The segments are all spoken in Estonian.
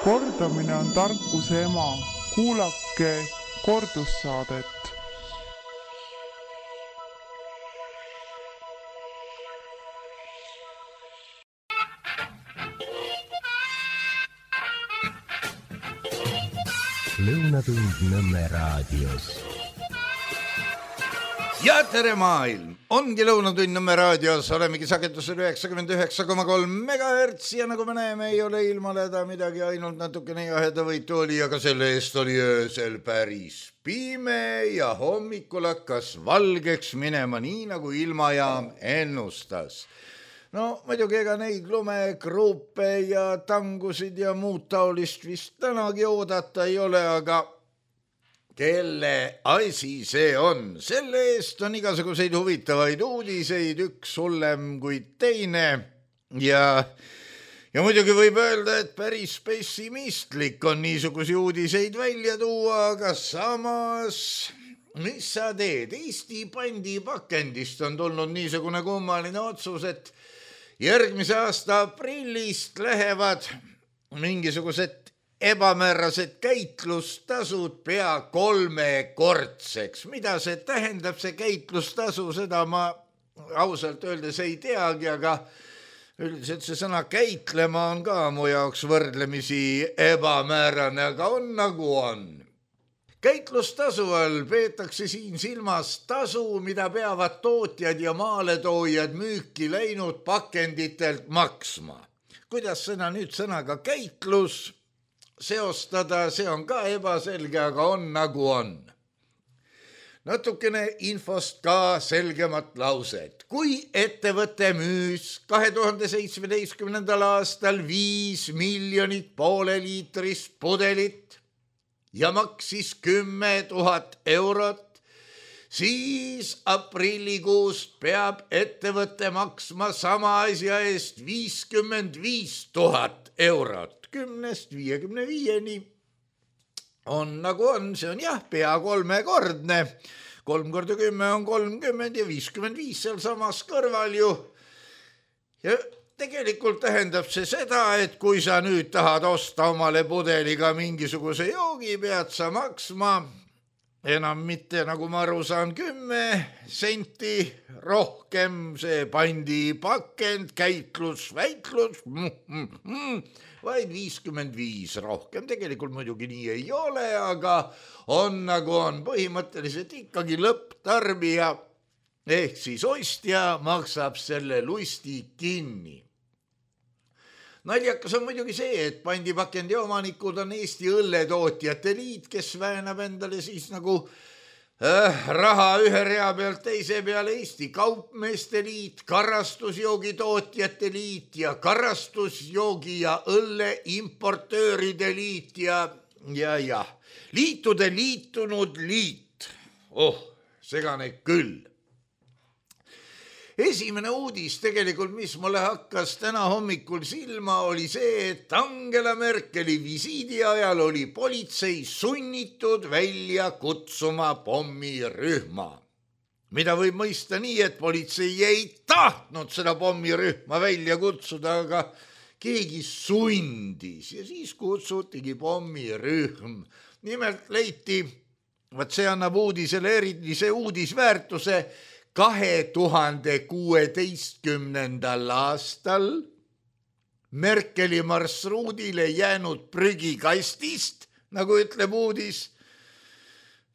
Kordamine on tarkuse ema. Kuulake kordussaadet. Lõunatund Nõmme raadios. Ja tere maailm! Ongi Lõunatund Nõmme raadios, olemegi sagedusel 99,3 MHz ja nagu me näeme, ei ole ilmaleda midagi, ainult natukene jahedavõitu oli, aga selle eest oli öösel päris pime ja hommikul hakkas valgeks minema nii, nagu ilmajaam ennustas. No muidugi ega neid lumegruupe ja tangusid ja muud taolist vist tänagi oodata ei ole, aga kelle asi see on? Selle eest on igasuguseid huvitavaid uudiseid, üks hullem kui teine ja muidugi võib öelda, et päris pessimistlik on niisugusi uudiseid välja tuua, aga samas mis sa teed? Eesti pandipakendist on tulnud niisugune kummaline otsus, et järgmise aasta aprillist lähevad mingisugused ebamäärased käitlustasud pea 3-kordseks. Mida see tähendab, see käitlustasu, seda ma ausalt öeldes ei teagi, aga üldiselt see sõna käitlema on ka mu jaoks võrdlemisi ebamäärane, aga on nagu on. Käitlustasu all peetakse siin silmas tasu, mida peavad tootjad ja maaletoojad müüki läinud pakenditelt maksma. Kuidas sõna nüüd sõnaga käitlus seostada, see on ka ebaselge, aga on nagu on. Natukene infost ka selgemat lauset. Kui ettevõte müüs 2017. aastal 5 miljonit pooleliitrist pudelit ja maksis 10 000 eurot, siis aprillikuust peab ettevõte maksma sama asja eest 55 000 eurot. 10-55-ni on nagu on, see on jah, pea 3-kordne. 3 korda 10 on 30 ja 55 seal samas kõrval ju. Ja tegelikult tähendab see seda, et kui sa nüüd tahad osta omale pudeliga mingisuguse joogi, pead sa maksma enam mitte, nagu ma aru saan, 10 senti rohkem, see pandipakend, käitlus, väitlus, vaid 55 rohkem. Tegelikult muidugi nii ei ole, aga on nagu on. Põhimõtteliselt ikkagi lõpptarbija ehk siis ostja maksab selle lusti kinni. Naljakas on muidugi see, et pandipakendi omanikud on Eesti õlletootjate liit, kes väänab endale siis nagu raha ühe rea pealt teise peale, Eesti kaupmeeste liit, karastusjoogitootjate liit ja karastusjoogi ja õlle importööride liit ja liitude liitunud liit. Segane küll. Esimene uudis tegelikult, mis mulle hakkas täna hommikul silma, oli see, et Angela Merkeli visiidi ajal oli politsei sunnitud välja kutsuma pommirühma. Mida võib mõista nii, et politsei ei tahtnud seda pommirühma välja kutsuda, aga keegi sundis ja siis kutsutigi pommirühm. Nimelt leiti, see annab uudisele erilise uudisväärtuse, 2016. aastal Merkeli marsruudile jäänud prügikastist, nagu ütleb uudis.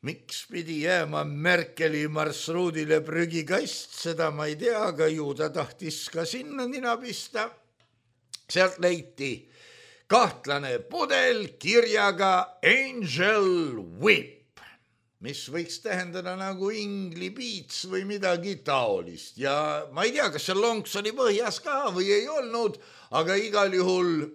Miks pidi jääma Merkeli marsruudile prügikast, seda ma ei tea, aga ju ta tahtis ka sinna nina pista. Sealt leiti kahtlane pudel kirjaga Angel Whip, mis võiks tähendada nagu Ingli piits või midagi taolist. Ja ma ei tea, kas see lonks oli põhjas ka või ei olnud, aga igal juhul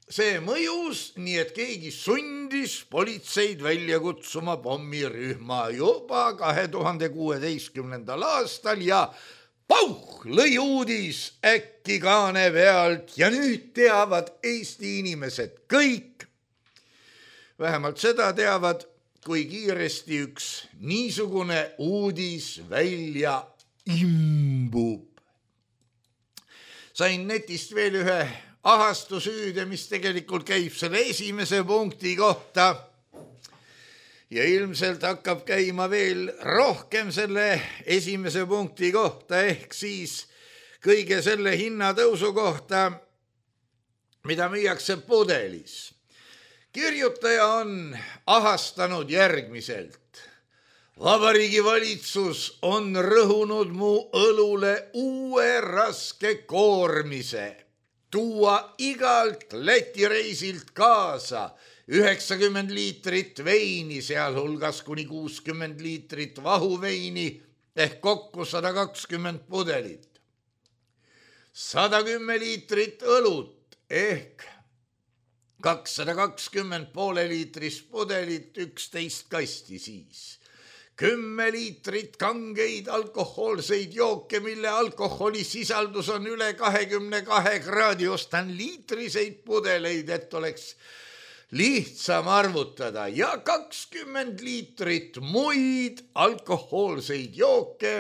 see mõjus, nii et keegi sundis politseid välja kutsuma pommirühma juba 2016. aastal ja pauh, lõi uudis äkki kaane pealt ja nüüd teavad Eesti inimesed kõik. Vähemalt seda teavad, kui kiiresti üks niisugune uudis välja imbub. Sain netist veel ühe ahastusüüde, mis tegelikult käib selle esimese punkti kohta. Ja ilmselt hakkab käima veel rohkem selle esimese punkti kohta, ehk siis kõige selle hinnatõusu kohta, mida müüakse pudelis. Kirjutaja on ahastanud järgmiselt. Vabariigi valitsus on rõhunud mu õlule uue raske koormise. Tuua igalt Läti reisilt kaasa 90 liitrit veini, sealhulgas kuni 60 liitrit vahuveini ehk kokku 120 pudelit. 110 liitrit õlut ehk 220 pooleliitrist pudelit, 11 kasti siis. 10 liitrit kangeid alkohoolseid jooke, mille alkoholisisaldus on üle 22 kraadi. Ostan liitriseid pudeleid, et oleks lihtsam arvutada, ja 20 liitrit muid alkohoolseid jooke,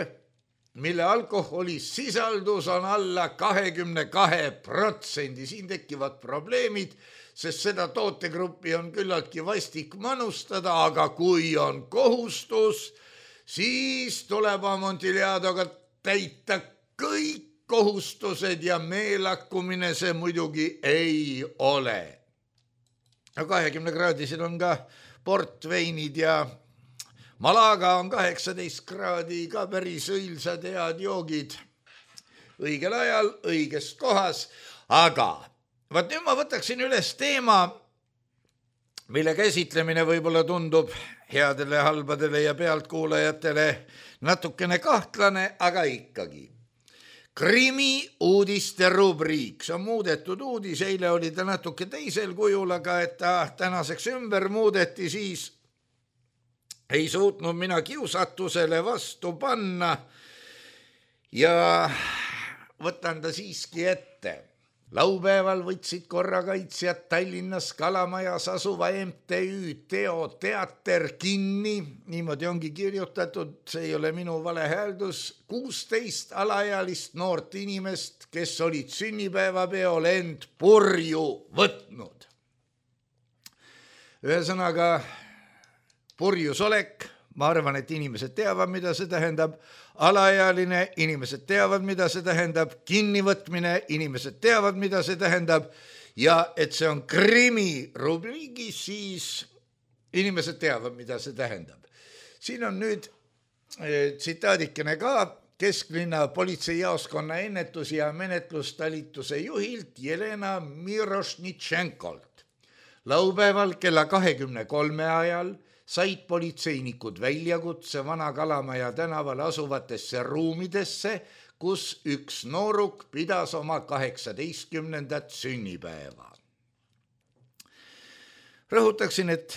mille alkoholisisaldus on alla 22%. Siin tekivad probleemid, sest seda tootegruppi on küllaltki vastik manustada, aga kui on kohustus, siis tuleb Amontillaadoga täita kõik kohustused ja meelakkumine see muidugi ei ole. 20 kraadisel on ka portveinid ja Malaga on 18 kraadi, ka päris õilsad head joogid õigel ajal, õiges kohas, aga vaat nüüd ma võtaksin üles teema, mille käsitlemine võib-olla tundub headele, halbadele ja pealtkuulajatele natukene kahtlane, aga ikkagi. Krimi uudiste rubriik, see on muudetud uudis, eile oli ta natuke teisel kujul, aga et ta tänaseks ümber muudeti, siis ei suutnud mina kiusatusele vastu panna ja võtan ta siiski ette. Laupäeval võtsid korrakaitsjad Tallinnas Kalamajas asuva MTÜ Teo teater kinni, niimoodi ongi kirjutatud, see ei ole minu valehääldus, 16 alaealist noort inimest, kes olid sünnipäevapeol end purju võtnud. Ühesõnaga, purjusolek, ma arvan, et inimesed teavad, mida see tähendab, alaealine, inimesed teavad, mida see tähendab, kinnivõtmine, inimesed teavad, mida see tähendab, ja et see on krimi rubriigis, siis inimesed teavad, mida see tähendab. Siin on nüüd tsitaadikene ka Kesklinna politseijaoskonna ennetus- ja menetlustalituse juhilt Jelena Mirošnitšenkolt. Laupäeval kella 23 ajal said politseinikud väljakutse Vana-Kalamaja tänaval asuvatesse ruumidesse, kus üks nooruk pidas oma 18. sünnipäeva. Rõhutaksin, et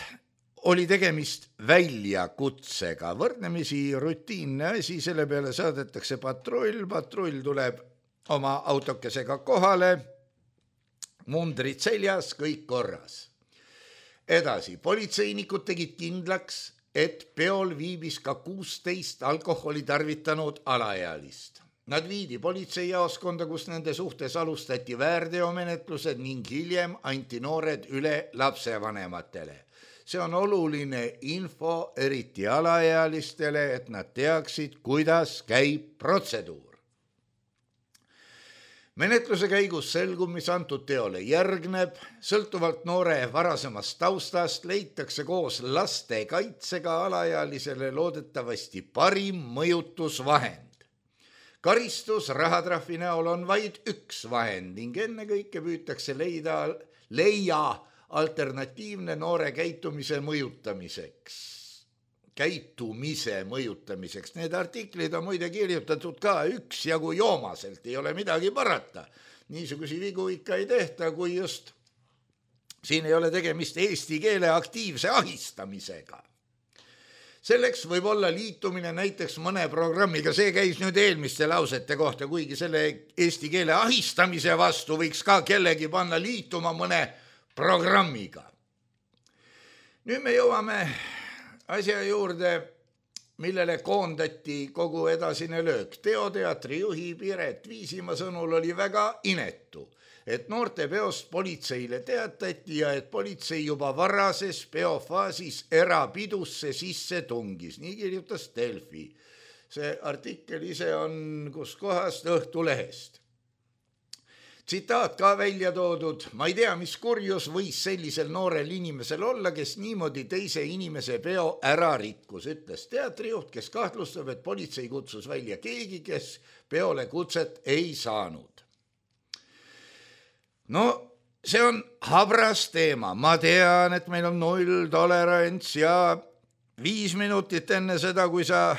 oli tegemist väljakutsega, võrdlemisi rutiinne asi, selle peale saadetakse patrull tuleb oma autokesega kohale, mundrid seljas, kõik korras. Edasi, politseinikud tegid kindlaks, et peol viibis ka 16 alkoholi tarvitanud alaealist. Nad viidi politseijaoskonda, kus nende suhtes alustati väärteomenetlused ning hiljem anti noored üle lapsevanematele. See on oluline info eriti alaealistele, et nad teaksid, kuidas käib protseduur. Menetluse käigus selgub, mis antud teole järgneb, sõltuvalt noore varasemast taustast leitakse koos lastekaitsega alaealisele loodetavasti parim mõjutusvahend. Karistus rahatrahvi näol on vaid üks vahend ning ennekõike püütakse leia alternatiivne noore käitumise mõjutamiseks. Need artiklid on muide kirjutatud ka üksjagu joomaselt, ei ole midagi parata. Niisugusi vigu ikka ei tehta, kui just siin ei ole tegemist eesti keele aktiivse ahistamisega. Selleks võib olla liitumine näiteks mõne programmiga, see käis nüüd eelmiste lausete kohta, kuigi selle eesti keele ahistamise vastu võiks ka kellegi panna liituma mõne programmiga. Nüüd me jõuame asja juurde, millele koondati kogu edasine löök. Teoteatri juhi Piret Viisimaa sõnul oli väga inetu, et noortepeost politseile teatati ja et politsei juba varases peofaasis erapidusse sisse tungis. Nii kirjutas Delfi. See artikkel ise on kus kohast Õhtulehest. Tsitaat ka välja toodud. Ma ei tea, mis kurjus võis sellisel noorel inimesel olla, kes niimoodi teise inimese peo ära rikkus, ütles teatrijuht, kes kahtlustab, et politsei kutsus välja keegi, kes peole kutset ei saanud. No, see on habras teema. Ma tean, et meil on 0 tolerants ja 5 minutit enne seda, kui sa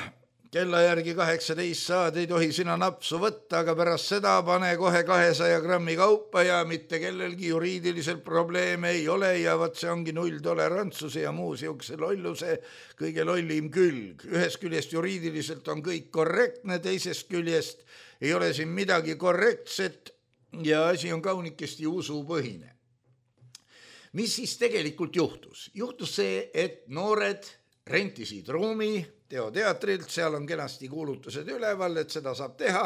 kella järgi 18 saad, ei tohi sina napsu võtta, aga pärast seda pane kohe 200 grammi kaupa ja mitte kellelgi juriidiliselt probleeme ei ole ja võt see ongi 0 tolerantsuse ja muu siukse lolluse kõige lollim külg. Ühest küljest juriidiliselt on kõik korrektne, teisest küljest ei ole siin midagi korrektset ja asi on kaunikesti usupõhine. Mis siis tegelikult juhtus? Juhtus see, et noored rentisid ruumi teatrilt, seal on kenasti kuulutused üleval, et seda saab teha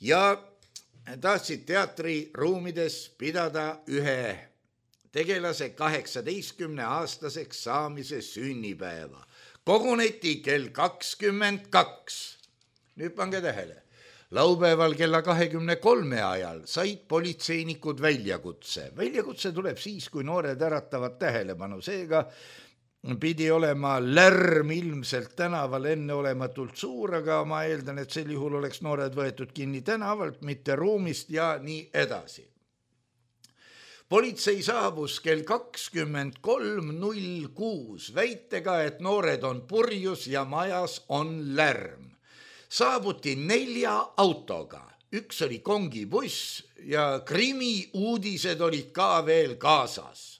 ja tahtsid teatriruumides pidada ühe tegelase 18-aastaseks saamise sünnipäeva. Koguneti kell 22. Nüüd pange tähele. Laupäeval kella 23 ajal said politseinikud väljakutse. Väljakutse tuleb siis, kui noored äratavad tähelepanu. Seega pidi olema lärm ilmselt tänaval enneolematult suur, aga ma eeldan, et sel juhul oleks noored võetud kinni tänavalt, mitte ruumist ja nii edasi. Politsei saabus kell 23.06 väitega, et noored on purjus ja majas on lärm. Saabuti 4 autoga. Üks oli kongibuss ja krimiuudised olid ka veel kaasas.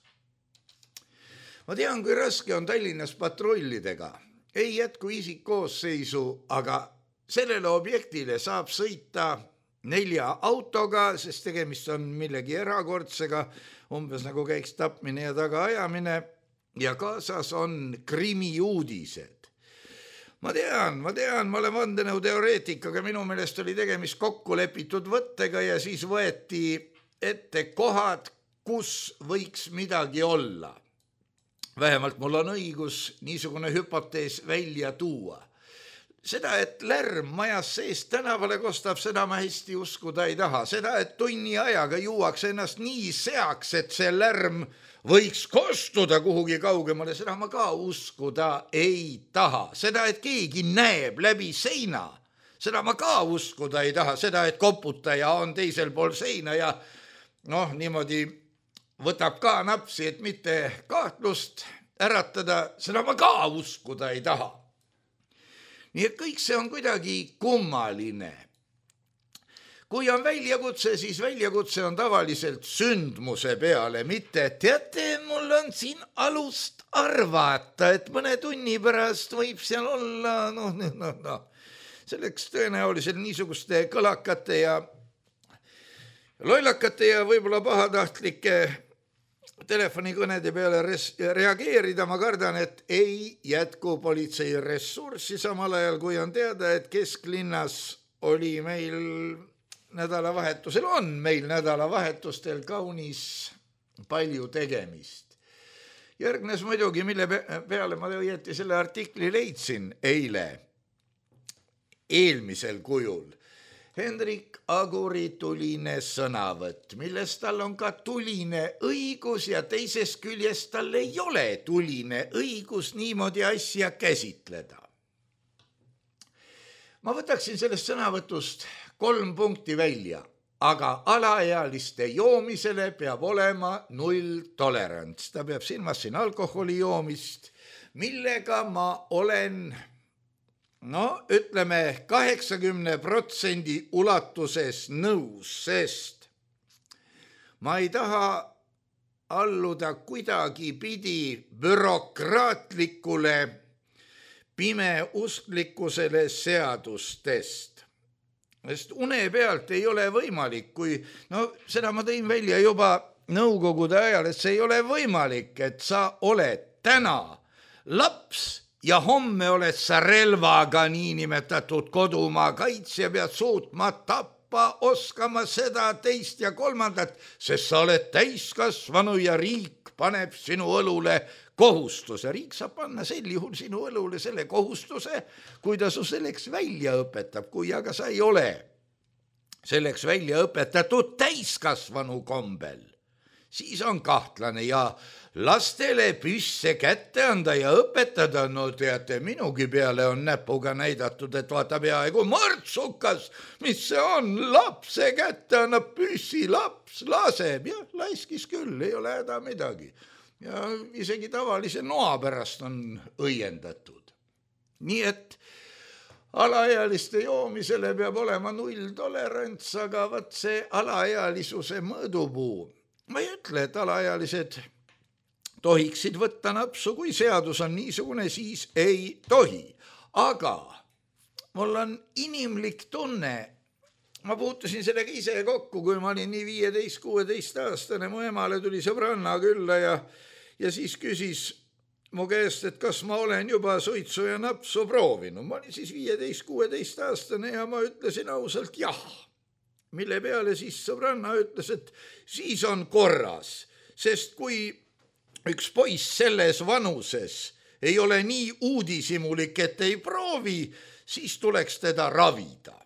Ma tean, kui raske on Tallinnas patrullidega. Ei jätku isikkoosseisu, aga sellele objektile saab sõita 4 autoga, sest tegemist on millegi erakordsega, umbes nagu käiks tapmine ja tagaajamine ja kaasas on krimiuudised. Ma tean, ma olen vandenõuteoreetik, aga minu meelest oli tegemist kokku lepitud võttega ja siis võeti ette kohad, kus võiks midagi olla. Vähemalt mul on õigus niisugune hüpotees välja tuua. Seda, et lärm majas sees tänavale kostab, seda ma hästi uskuda ei taha. Seda, et tunni ajaga juuaks ennast nii seaks, et see lärm võiks kostuda kuhugi kaugemale, seda ma ka uskuda ei taha. Seda, et keegi näeb läbi seina, seda ma ka uskuda ei taha. Seda, et koputaja on teisel pool seina ja niimoodi võtab ka napsi, et mitte kahtlust äratada, seda ma ka uskuda ei taha. Nii et kõik see on kuidagi kummaline. Kui on väljakutse, siis väljakutse on tavaliselt sündmuse peale, mitte teate, mul on siin alust arvata, et mõne tunni pärast võib seal olla, Selleks tõenäoliselt niisuguste kõlakate ja lollakate ja võib-olla pahatahtlike telefonikõnede peale reageerida, ma kardan, et ei jätku politsei ressurssi samal ajal, kui on teada, et kesklinnas oli meil nädalavahetustel kaunis palju tegemist. Järgnes muidugi, mille peale ma õieti selle artikli leidsin eelmisel kujul. Hendrik Aguri tuline sõnavõtt, millest tal on ka tuline õigus ja teisest küljest tal ei ole tuline õigus niimoodi asja käsitleda. Ma võtaksin sellest sõnavõtust 3 punkti välja, aga alaealiste joomisele peab olema 0 tolerants. Ta peab silmas siin alkoholi joomist, millega ma olen ütleme 80% ulatuses nõus, sest ma ei taha alluda kuidagi pidi bürokraatlikule pimeusklikkusele seadustest. Sest une pealt ei ole võimalik, seda ma tõin välja juba nõukogude ajal, et see ei ole võimalik, et sa oled täna laps ja homme oled sa relvaga niinimetatud kodumaa kaitsja, pead suutma tappa oskama seda, teist ja kolmandat, sest sa oled täiskasvanu ja riik paneb sinu õlule kohustuse. Riik saab panna sel juhul sinu õlule selle kohustuse, kui ta su selleks välja õpetab, kui aga sa ei ole selleks välja õpetatud täiskasvanu kombel, siis on kahtlane ja lastele püsse kätte anda ja õpetada, no teate, minugi peale on näpuga näidatud, et vaata peaaegu mõrtsukas, mis see on, lapse kätte annab püssi, laps laseb, jah, laiskis küll, ei ole häda midagi. Ja isegi tavalise noa pärast on õiendatud. Nii et alaealiste joomisele peab olema nulltolerants, aga vaat see alaealisuse mõõdupuu. Ma ei ütle, et alaealised tohiksid võtta napsu, kui seadus on niisugune, siis ei tohi. Aga mul on inimlik tunne, ma puutusin sellega ise kokku, kui ma olin nii 15-16 aastane, mu emale tuli sõbranna külla ja siis küsis mu käest, et kas ma olen juba suitsu ja napsu proovinud. Ma olin siis 15-16 aastane ja ma ütlesin ausalt jah. Mille peale siis sõbranna ütles, et siis on korras, sest kui üks poiss selles vanuses ei ole nii uudishimulik, et ei proovi, siis tuleks teda ravida.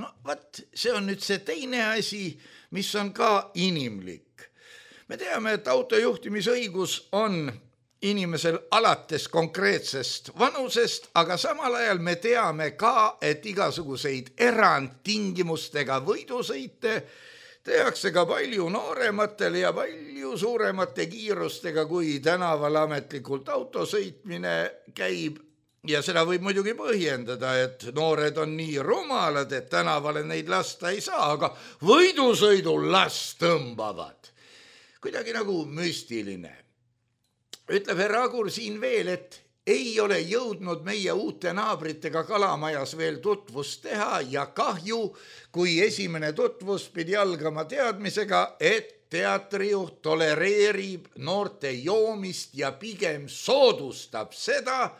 No vaat, see on nüüd see teine asi, mis on ka inimlik. Me teame, et autojuhtimisõigus on inimesel alates konkreetsest vanusest, aga samal ajal me teame ka, et igasuguseid erandtingimustega võidusõite tehakse ka palju noorematele ja palju suuremate kiirustega, kui tänaval ametlikult autosõitmine käib. Ja seda võib muidugi põhjendada, et noored on nii rumalad, et tänavale neid lasta ei saa, aga võidusõidul las tõmbavad. Kuidagi nagu müstiline. Ütleb herra Agur siin veel, et ei ole jõudnud meie uute naabritega Kalamajas veel tutvust teha ja kahju, kui esimene tutvus pidi algama teadmisega, et teatrijuht tolereerib noorte joomist ja pigem soodustab seda,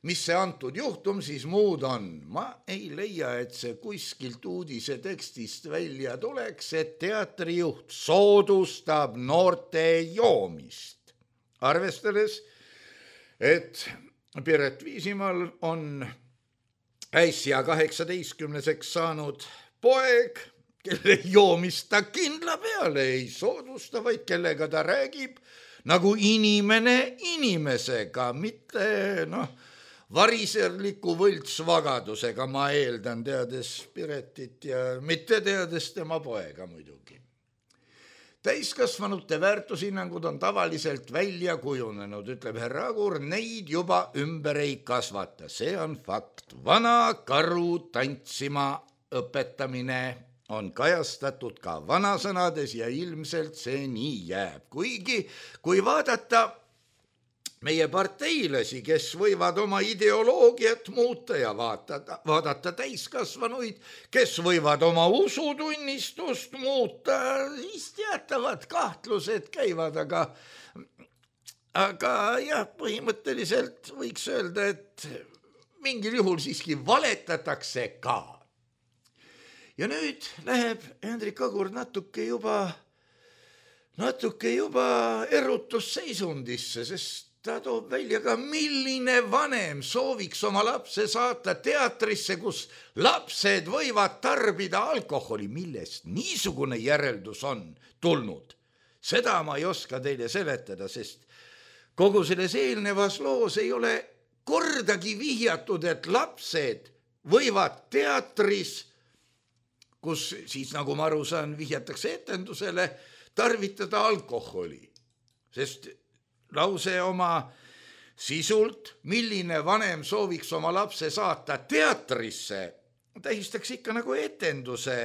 mis see antud juhtum siis muud on. Ma ei leia, et see kuskilt uudise tekstist välja tuleks, et teatrijuht soodustab noorte joomist. Arvestades, et Piret Viisimaal on äsja 18-seks saanud poeg, kelle joomist ta kindla peale ei soodusta, vaid kellega ta räägib nagu inimene inimesega, mitte variserliku võltsvagadusega, ma eeldan, teades Piretit ja mitte teades tema poega muidugi. Täiskasvanute väärtushinnangud on tavaliselt välja kujunenud, ütleb herra Agur, neid juba ümber ei kasvata. See on fakt. Vana karu tantsima õpetamine on kajastatud ka vanasõnades ja ilmselt see nii jääb. Kuigi, kui vaadata meie parteilasi, kes võivad oma ideoloogiat muuta ja vaadata täiskasvanuid, kes võivad oma usutunnistust muuta, siis teatavad kahtlused käivad, aga jah, põhimõtteliselt võiks öelda, et mingil juhul siiski valetatakse ka. Ja nüüd läheb Hendrik Agur natuke juba erutusseisundisse, sest ta toob välja ka, milline vanem sooviks oma lapse saata teatrisse, kus lapsed võivad tarbida alkoholi, millest niisugune järeldus on tulnud. Seda ma ei oska teile seletada, sest kogu selles eelnevas loos ei ole kordagi vihjatud, et lapsed võivad teatris, kus siis, nagu ma aru saan, vihjatakse etendusele, tarvitada alkoholi, sest lause oma sisult, milline vanem sooviks oma lapse saata teatrisse, tähistaks ikka nagu etenduse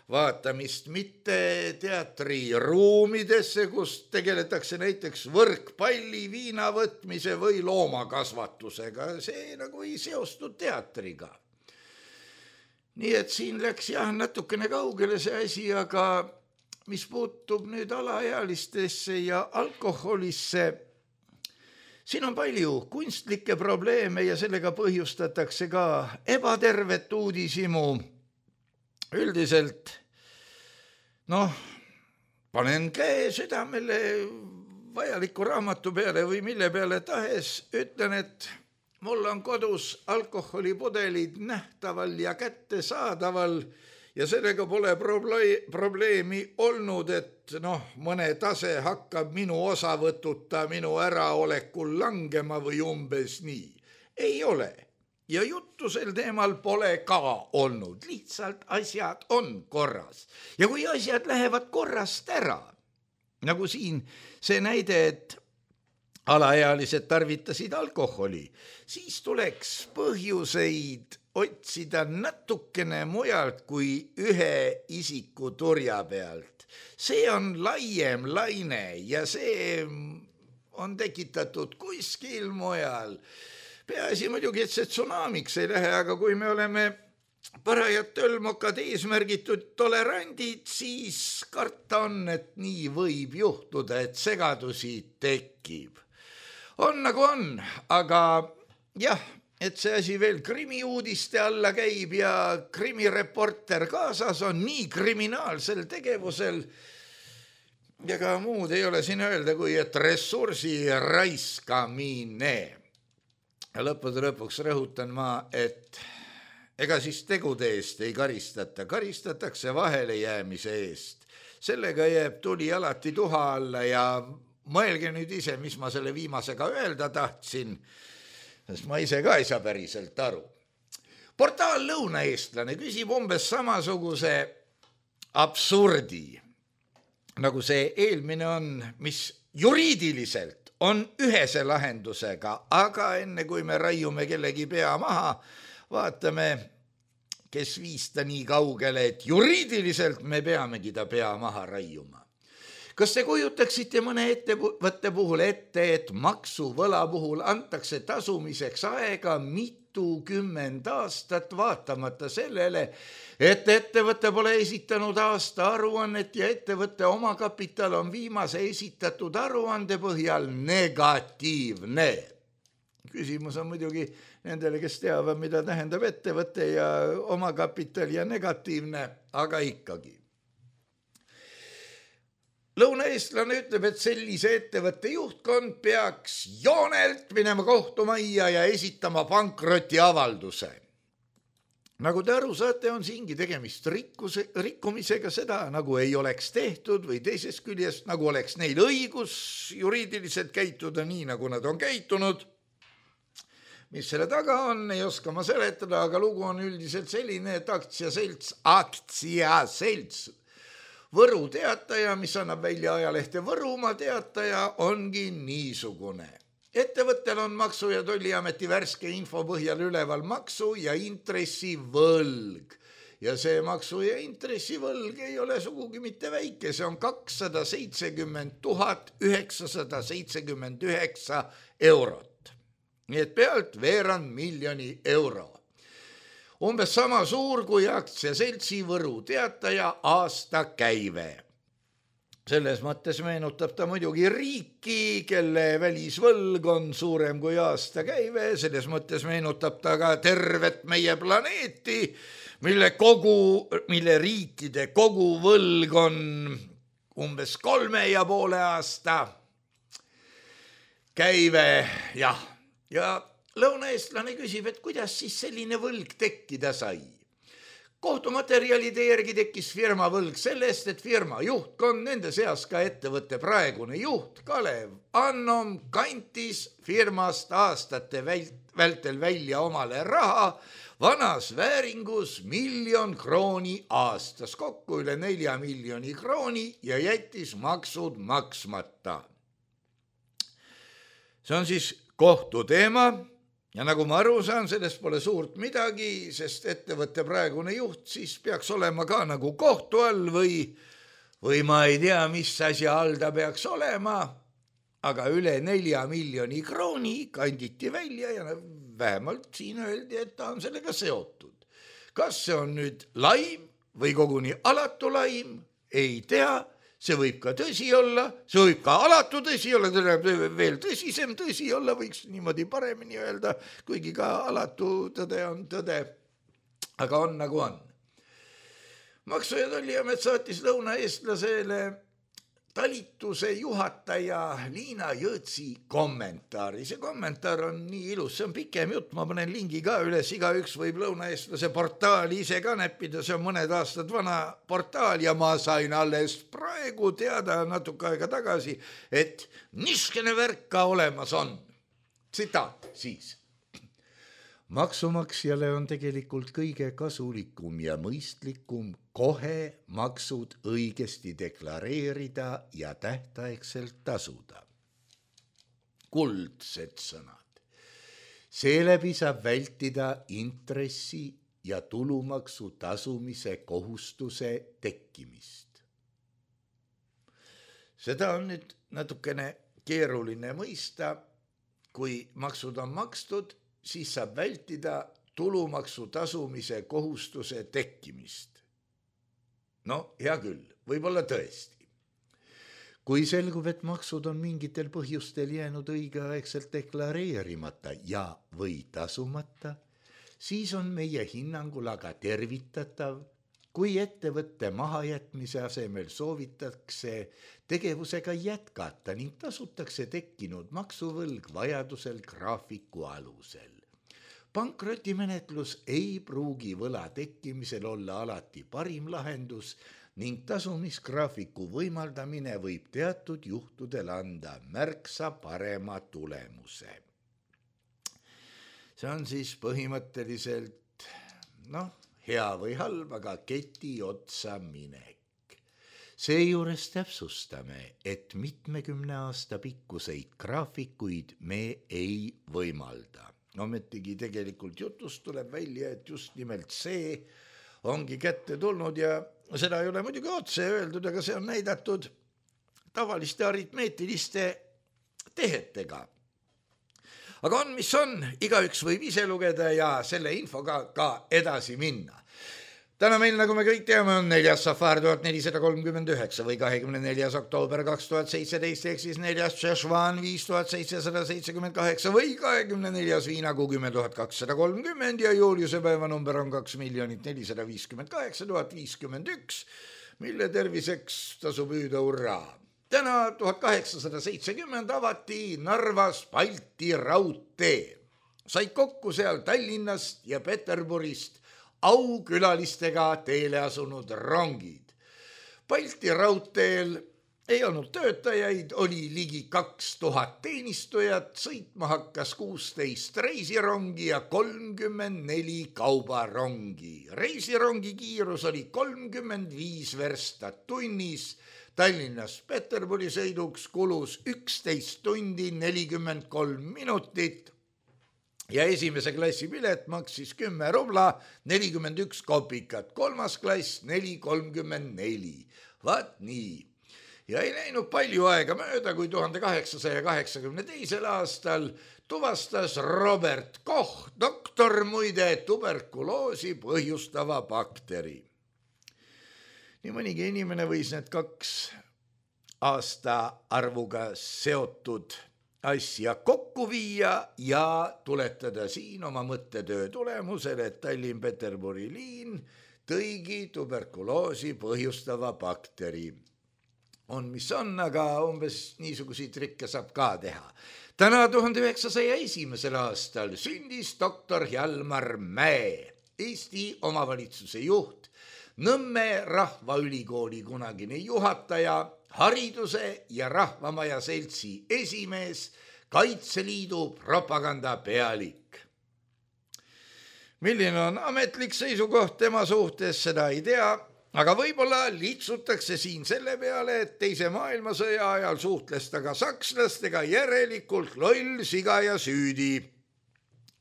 vaatamist, mitte teatriruumidesse, kus tegeletakse näiteks võrkpalli, viina võtmise või loomakasvatusega. See nagu ei seostu teatriga. Nii et siin läks jah natukene kaugele see asi, aga mis puutub nüüd alaealistesse ja alkoholisse, siin on palju kunstlikke probleeme ja sellega põhjustatakse ka ebatervet uudishimu. üldiselt panen käe südamele vajaliku raamatu peale või mille peale tahes, ütlen, et mul on kodus alkoholipudelid nähtaval ja kättesaadaval ja sellega pole probleemi olnud, et mõne tase hakkab minu osavõtuta minu äraolekul langema või umbes nii. Ei ole. Ja juttu sel teemal pole ka olnud. Lihtsalt asjad on korras. Ja kui asjad lähevad korrast ära, nagu siin see näide, et alaealised tarvitasid alkoholi, siis tuleks põhjuseid otsida natukene mujalt kui ühe isiku turja pealt. See on laiem laine ja see on tekitatud kuskil mujal. Peaasi muidugi, et see tsunamiks ei lähe, aga kui me oleme parajad tölmokad eesmärgitud tolerandid, siis karta on, et nii võib juhtuda, et segadusi tekib. On nagu on, aga jah, et see asi veel krimiuudiste alla käib ja krimireporter kaasas on nii kriminaalsel tegevusel ja ka muud ei ole siin öelda, kui et ressursi raiskamine. Ja lõppude lõpuks rõhutan ma, et ega siis tegude eest ei karistata, karistatakse vahele jäämise eest. Sellega jääb tuli alati tuha alla ja mõelge nüüd ise, mis ma selle viimasega öelda tahtsin, sest ma ise ka ei saa päriselt aru. Portaal Lõunaeestlane küsib umbes samasuguse absurdi, nagu see eelmine on, mis juriidiliselt on ühese lahendusega, aga enne kui me raiume kellegi pea maha, vaatame, kes viis ta nii kaugele, et juriidiliselt me peamegi ta pea maha raiuma. Kas te kujutaksite mõne ettevõtte puhul ette, et maksuvõla puhul antakse tasumiseks aega 20 aastat, vaatamata sellele, et ettevõte pole esitanud aasta aruannet ja ettevõtte omakapital on viimase esitatud aruande põhjal negatiivne. Küsimus on muidugi nendele, kes teavad, mida tähendab ettevõte ja omakapital ja negatiivne, aga ikkagi. Lõunaeestlane ütleb, et sellise ettevõtte juhtkond peaks joonelt minema kohtumajja ja esitama pankrotiavalduse. Nagu te aru saate, on siingi tegemist rikkumisega, seda nagu ei oleks tehtud või teisest küljest, nagu oleks neil õigus juriidiliselt käituda nii, nagu nad on käitunud. Mis selle taga on, ei oska ma seletada, aga lugu on üldiselt selline, et aktsiaselts Võru Teataja, mis annab välja ajalehte Võrumaa Teataja, ongi niisugune. Ettevõttel on Maksu- ja Tolliameti värske info põhjal üleval maksu- ja intressivõlg. Ja see maksu- ja intressivõlg ei ole sugugi mitte väike, see on 270 979 eurot. Nii et pealt veerand miljoni euro. Umbes sama suur kui aktsiaseltsi Võru Teataja aastakäive. Selles mõttes meenutab ta muidugi riiki, kelle välisvõlg on suurem kui aastakäive. Selles mõttes meenutab ta ka tervet meie planeeti, mille riikide koguvõlg on umbes 3,5 aasta käive. Ja lõunaeestlane küsib, et kuidas siis selline võlg tekkida sai. Kohtumaterjalide järgi tekkis firma võlg sellest, et firma juhtkond, nende seas ka ettevõtte praegune juht Kalev Annom kantis firmast aastate vältel välja omale raha vanas vääringus 1 000 000 krooni aastas, kokku üle 4 miljoni krooni ja jättis maksud maksmata. See on siis kohtuteema. Ja nagu ma aru saan, sellest pole suurt midagi, sest ettevõtte praegune juht siis peaks olema ka nagu kohtu all või ma ei tea, mis asja all ta peaks olema, aga üle 4 miljoni krooni kanditi välja ja vähemalt siin öeldi, et ta on sellega seotud. Kas see on nüüd laim või koguni alatu laim, ei tea. See võib ka tõsi olla, see võib ka alatu tõsi olla, veel tõsisem tõsi olla, võiks niimoodi paremini öelda, kuigi ka alatu tõde on tõde, aga on nagu on. Maksu- ja Tolliamet saatis lõunaeestlasele talituse juhataja Liina Jõõtsi kommentaari. See kommentaar on nii ilus, see on pikem jutt, ma panen lingi ka üles, igaüks võib lõunaeestlase portaali ise ka näppida, see on mõned aastad vana portaal ja ma sain alles praegu teada natuke aega tagasi, et niskene värk ka olemas on. Tsitaat siis. Maksumaksjale on tegelikult kõige kasulikum ja mõistlikum kohe maksud õigesti deklareerida ja tähtaegselt tasuda. Kuldsed sõnad. Seeläbi saab vältida intressi ja tulumaksu tasumise kohustuse tekkimist. Seda on nüüd natukene keeruline mõista, kui maksud on makstud, siis saab vältida tulumaksu tasumise kohustuse tekkimist. No, hea küll, võib-olla tõesti. Kui selgub, et maksud on mingitel põhjustel jäänud õigeaegselt deklareerimata ja või tasumata, siis on meie hinnangul aga tervitatav, kui ettevõtte mahajätmise asemel soovitakse tegevusega jätkata ning tasutakse tekkinud maksuvõlg vajadusel graafiku alusel. Pankrotimenetlus ei pruugi võla tekkimisel olla alati parim lahendus ning tasumisgraafiku võimaldamine võib teatud juhtudel anda märksa parema tulemuse. See on siis põhimõtteliselt, hea või halb, aga keti otsa minek. Seejuures täpsustame, et mitmekümne aasta pikkuseid graafikuid me ei võimalda. Ometigi tegelikult jutust tuleb välja, et just nimelt see ongi kätte tulnud ja seda ei ole muidugi otse öeldud, aga see on näidatud tavaliste aritmeetiliste tehetega. Aga on, mis on, igaüks võib ise lugeda ja selle infoga ka edasi minna. Täna meil, nagu me kõik teame, on 4. Safar 1439 või 24. oktoober 2017 ehk siis 4. Šešvan 5778 või 24. Viinakuu 10.230 ja Juliuse päevanumber on 2 458 051, mille terviseks tasub hüüda urraa. Täna 1870 avati Narvas Balti raudtee. Said kokku seal Tallinnast ja Peterburist aukülalistega teele asunud rongid. Balti raudteel ei olnud töötajaid, oli ligi 2000 teenistujat, sõitma hakkas 16 reisirongi ja 34 kaubarongi. Reisirongi kiirus oli 35 verstat tunnis, Tallinnast Peterburi sõiduks kulus 11 tundi 43 minutit ja esimese klassi pilet maksis 10 rubla 41 kopikat, kolmas klass 4,34. Vaat nii. Ja ei läinud palju aega mööda, kui 1882. aastal tuvastas Robert Koch, doktor muide, tuberkuloosi põhjustava bakteri. Nii mõnigi inimene võis need 2 aastaarvuga seotud asja kokku viia ja tuletada siin oma mõttetöö tulemusel, et Tallinn-Peterburi liin tõigi tuberkuloosi põhjustava bakteri. On, mis on, aga umbes niisuguseid trikke saab ka teha. Täna 1901. aastal sündis doktor Hjalmar Mäe, Eesti omavalitsuse juht, Nõmme Rahvaülikooli kunagine juhataja, hariduse ja Rahvamaja seltsi esimees, Kaitseliidu propaganda pealik. Milline on ametlik seisukoht tema suhtes, seda ei tea, aga võib-olla litsutakse siin selle peale, et teise maailmasõja ajal suhtles ta ka sakslastega, järelikult loll, siga ja süüdi.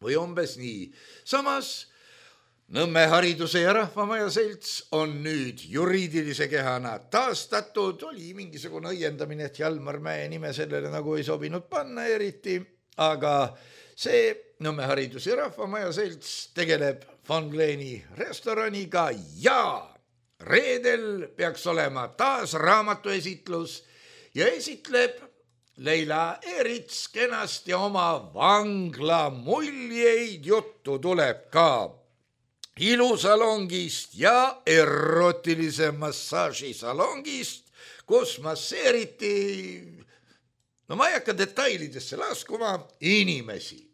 Või umbes nii. Samas Nõmme hariduse ja Rahvamaja selts on nüüd juriidilise kehana taastatud, oli mingisugune õiendamine, et Hjalmar Mäe nime sellele nagu ei sobinud panna eriti, aga see Nõmme haridus ja Rahvamaja selts tegeleb Von Gleni restoraniga ja reedel peaks olema taas raamatuesitlus ja esitleb Leila Eerits kenasti oma vangla muljeid, juttu tuleb ka ilusalongist ja erotilise massaažisalongist, kus masseeriti, no ma ei hakka detailidesse laskuma, inimesi.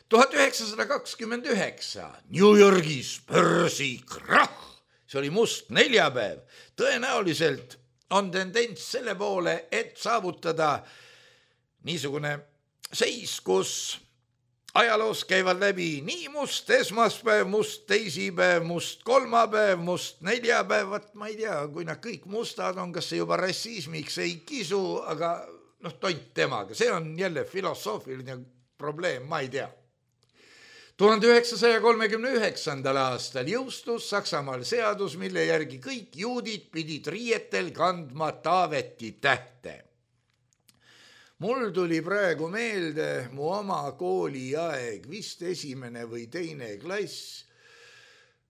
1929 New Yorgis börsikrahh, see oli must neljapäev, tõenäoliselt on tendents selle poole, et saavutada niisugune seis, kus ajaloos käivad läbi nii must esmaspäev, must teisipäev, must kolmapäev, must neljapäev, ma ei tea, kui nad kõik mustad on, kas see juba rassismiks ei kisu, aga tont temaga, see on jälle filosoofiline probleem, ma ei tea. 1939. aastal jõustus Saksamaal seadus, mille järgi kõik juudid pidid riietel kandma Taaveti tähte. Mul tuli praegu meelde mu oma kooliaeg, vist esimene või teine klass,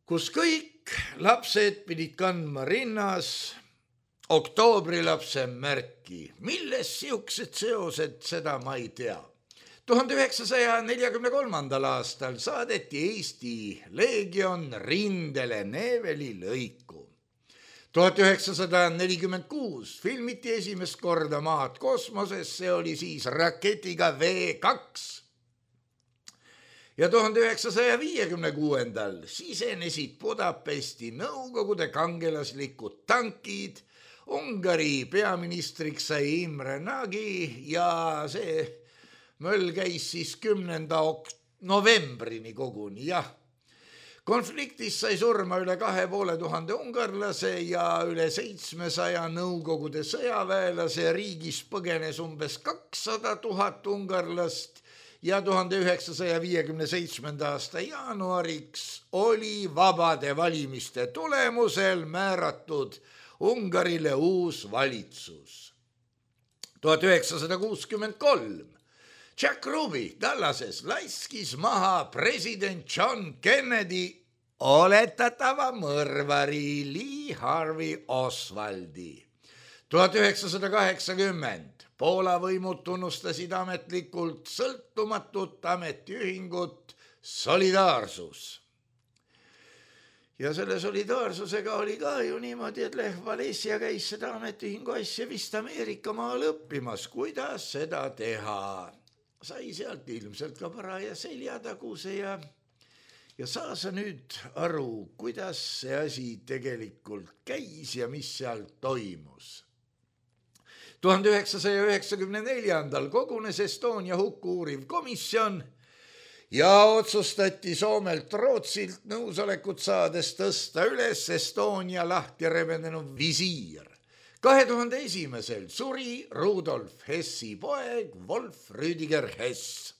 kus kõik lapsed pidid kandma rinnas oktoobrilapse märki. Milles siuksed seosed, seda ma ei tea. 1943. aastal saadeti Eesti leegion rindele Neveli lõiku. 1946 filmiti esimest korda maad kosmoses, see oli siis raketiga V2. Ja 1956. sisenesid Budapesti Nõukogude kangelaslikud tankid, Ungari peaministriks sai Imre Nagy ja see möll käis siis 10. novembrini koguni, jah. Konfliktis sai surma üle 2500 ungarlase ja üle 700 Nõukogude sõjaväelase, riigis põgenes umbes 200 000 ungarlast ja 1957. aasta jaanuariks oli vabade valimiste tulemusel määratud Ungarile uus valitsus. 1963 Jack Ruby Dallases laskis maha president John Kennedy oletatava mõrvari Lee Harvey Oswaldi. 1980 Poola võimud tunnustasid ametlikult sõltumatut ametiühingut Solidaarsus. Ja selle solidaarsusega oli ka ju niimoodi, et Lech Walesa käis seda ametiühingu asja vist Ameerika maal õppimas, kuidas seda teha. Sai sealt ilmselt ka paraja seljataguse ja saa sa nüüd aru, kuidas see asi tegelikult käis ja mis seal toimus. 1994. kogunes Estonia hukku uuriv komisjon ja otsustati Soomelt Rootsilt nõusolekut saades tõsta üles Estonia lahti rebenenud visiir. 2001. suri Rudolf Hessi poeg Wolf Rüdiger Hess.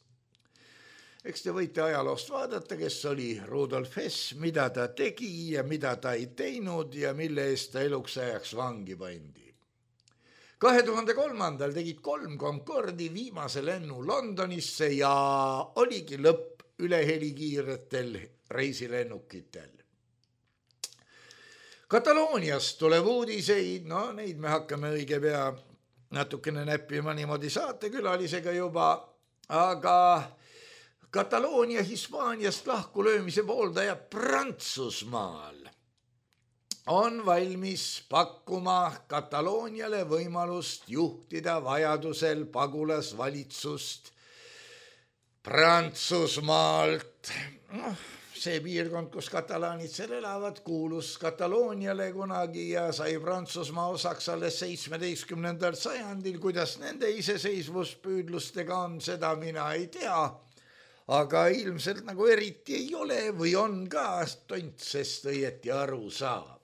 Eks te võite ajaloost vaadata, kes oli Rudolf Hess, mida ta tegi ja mida ta ei teinud ja mille eest ta eluks ajaks vangi pandi. 2003. tegid 3 Concordi viimase lennu Londonisse ja oligi lõpp ülehelikiiretel reisilennukitel. Katalooniast tuleb uudiseid, neid me hakkame õige pea natukene näppima niimoodi saatekülalisega juba, aga Kataloonia Hispaaniast lahkulöömise pooldaja Prantsusmaal on valmis pakkuma Katalooniale võimalust juhtida vajadusel pagulasvalitsust Prantsusmaalt. See piirkond, kus katalaanid seal elavad, kuulus Katalooniale kunagi ja sai Prantsusmaa osaks alles 17. sajandil. Kuidas nende iseseisvuspüüdlustega on, seda mina ei tea. Aga ilmselt nagu eriti ei ole või on ka tontsest õieti aru saab.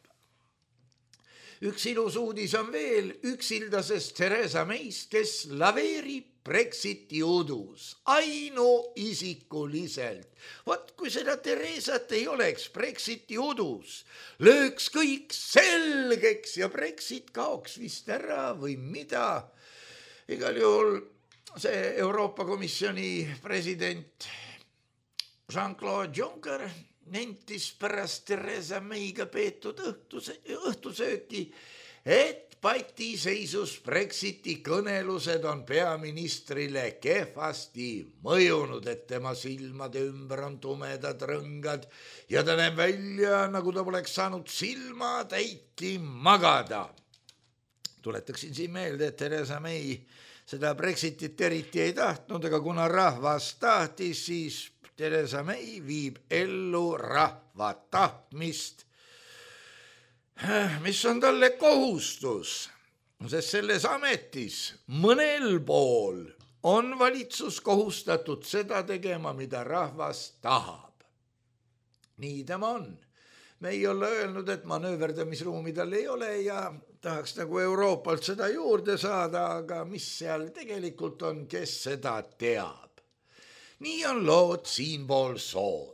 Üks ilus uudis on veel üksildasest Theresa Mayst, kes laveerib Brexiti udus ainuisikuliselt. Vot kui seda Theresat ei oleks Brexiti udus, lööks kõik selgeks ja Brexit kaoks vist ära või mida. Igal juhul see Euroopa Komisjoni president Jean-Claude Juncker nentis pärast Theresa Mayga peetud õhtusööki, et patiseisus Brexiti kõnelused on peaministrile kehvasti mõjunud, et tema silmade ümber on tumedad rõngad ja ta näeb välja, nagu ta poleks saanud silmatäitki magada. Tuletaksin siin meelde, et Theresa May seda Brexitit eriti ei tahtnud, aga kuna rahvas tahtis, siis Theresa May viib ellu rahva tahtmist, mis on talle kohustus, sest selles ametis mõnel pool on valitsus kohustatud seda tegema, mida rahvas tahab. Nii tema on. Me ei ole öelnud, et manööverdamisruumi tal ei ole ja tahaks nagu Euroopalt seda juurde saada, aga mis seal tegelikult on, kes seda teab. Nii on lood siinpool sood.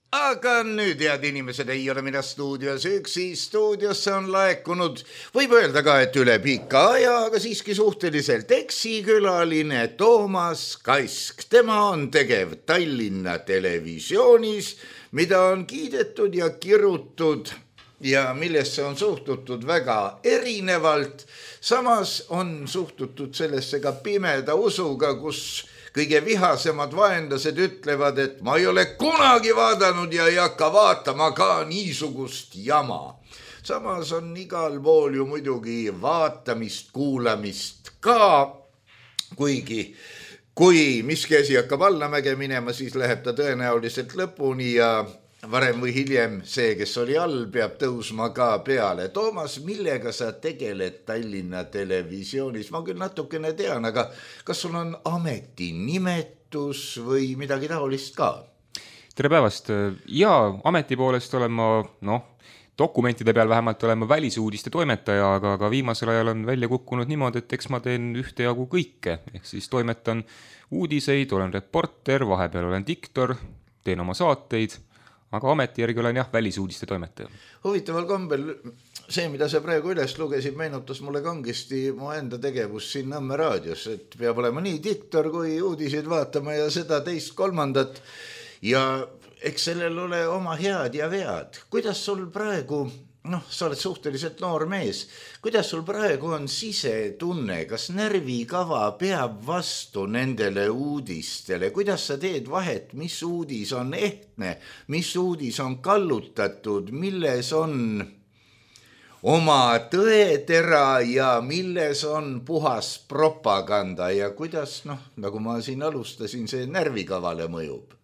Aga nüüd, head inimesed, ei ole mina stuudios üksi, stuudiosse on laekunud, võib öelda ka, et üle pika aja, aga siiski suhteliselt eksikülaline Toomas Kask. Tema on tegev Tallinna Televisioonis, mida on kiidetud ja kirutud ja millesse on suhtutud väga erinevalt. Samas on suhtutud sellesse ka pimeda usuga, kus kõige vihasemad vaenlased ütlevad, et ma ei ole kunagi vaadanud ja ei hakka vaatama ka niisugust jama. Samas on igal pool ju muidugi vaatamist, kuulamist ka, kuigi kui miski asi hakkab allamäge minema, siis läheb ta tõenäoliselt lõpuni ja varem või hiljem see, kes oli all, peab tõusma ka peale. Toomas, millega sa tegeled Tallinna Televisioonis? Ma küll natukene tean, aga kas sul on ametinimetus või midagi taolist ka? Tere päevast! Jaa, ameti poolest olen ma, dokumentide peal vähemalt olen ma välisuudiste toimetaja, aga viimasel ajal on välja kukkunud niimoodi, et eks ma teen ühtejagu kõike. Ehk siis toimetan uudiseid, olen reporter, vahepeal olen diktor, teen oma saateid, aga ameti järgi olen välisuudiste toimetaja. Huvitaval kombel see, mida sa praegu üles lugesid, meenutas mulle kangesti mu enda tegevus siin Nõmme raadios, et peab olema nii diktor kui uudiseid vaatama ja seda teist kolmandat ja eks sellel ole oma head ja vead. Kuidas sul praegu, sa oled suhteliselt noor mees, kuidas sul praegu on sisetunne, kas närvikava peab vastu nendele uudistele, kuidas sa teed vahet, mis uudis on ehtne, mis uudis on kallutatud, milles on oma tõetera ja milles on puhas propaganda ja kuidas, nagu ma siin alustasin, see närvikavale mõjub?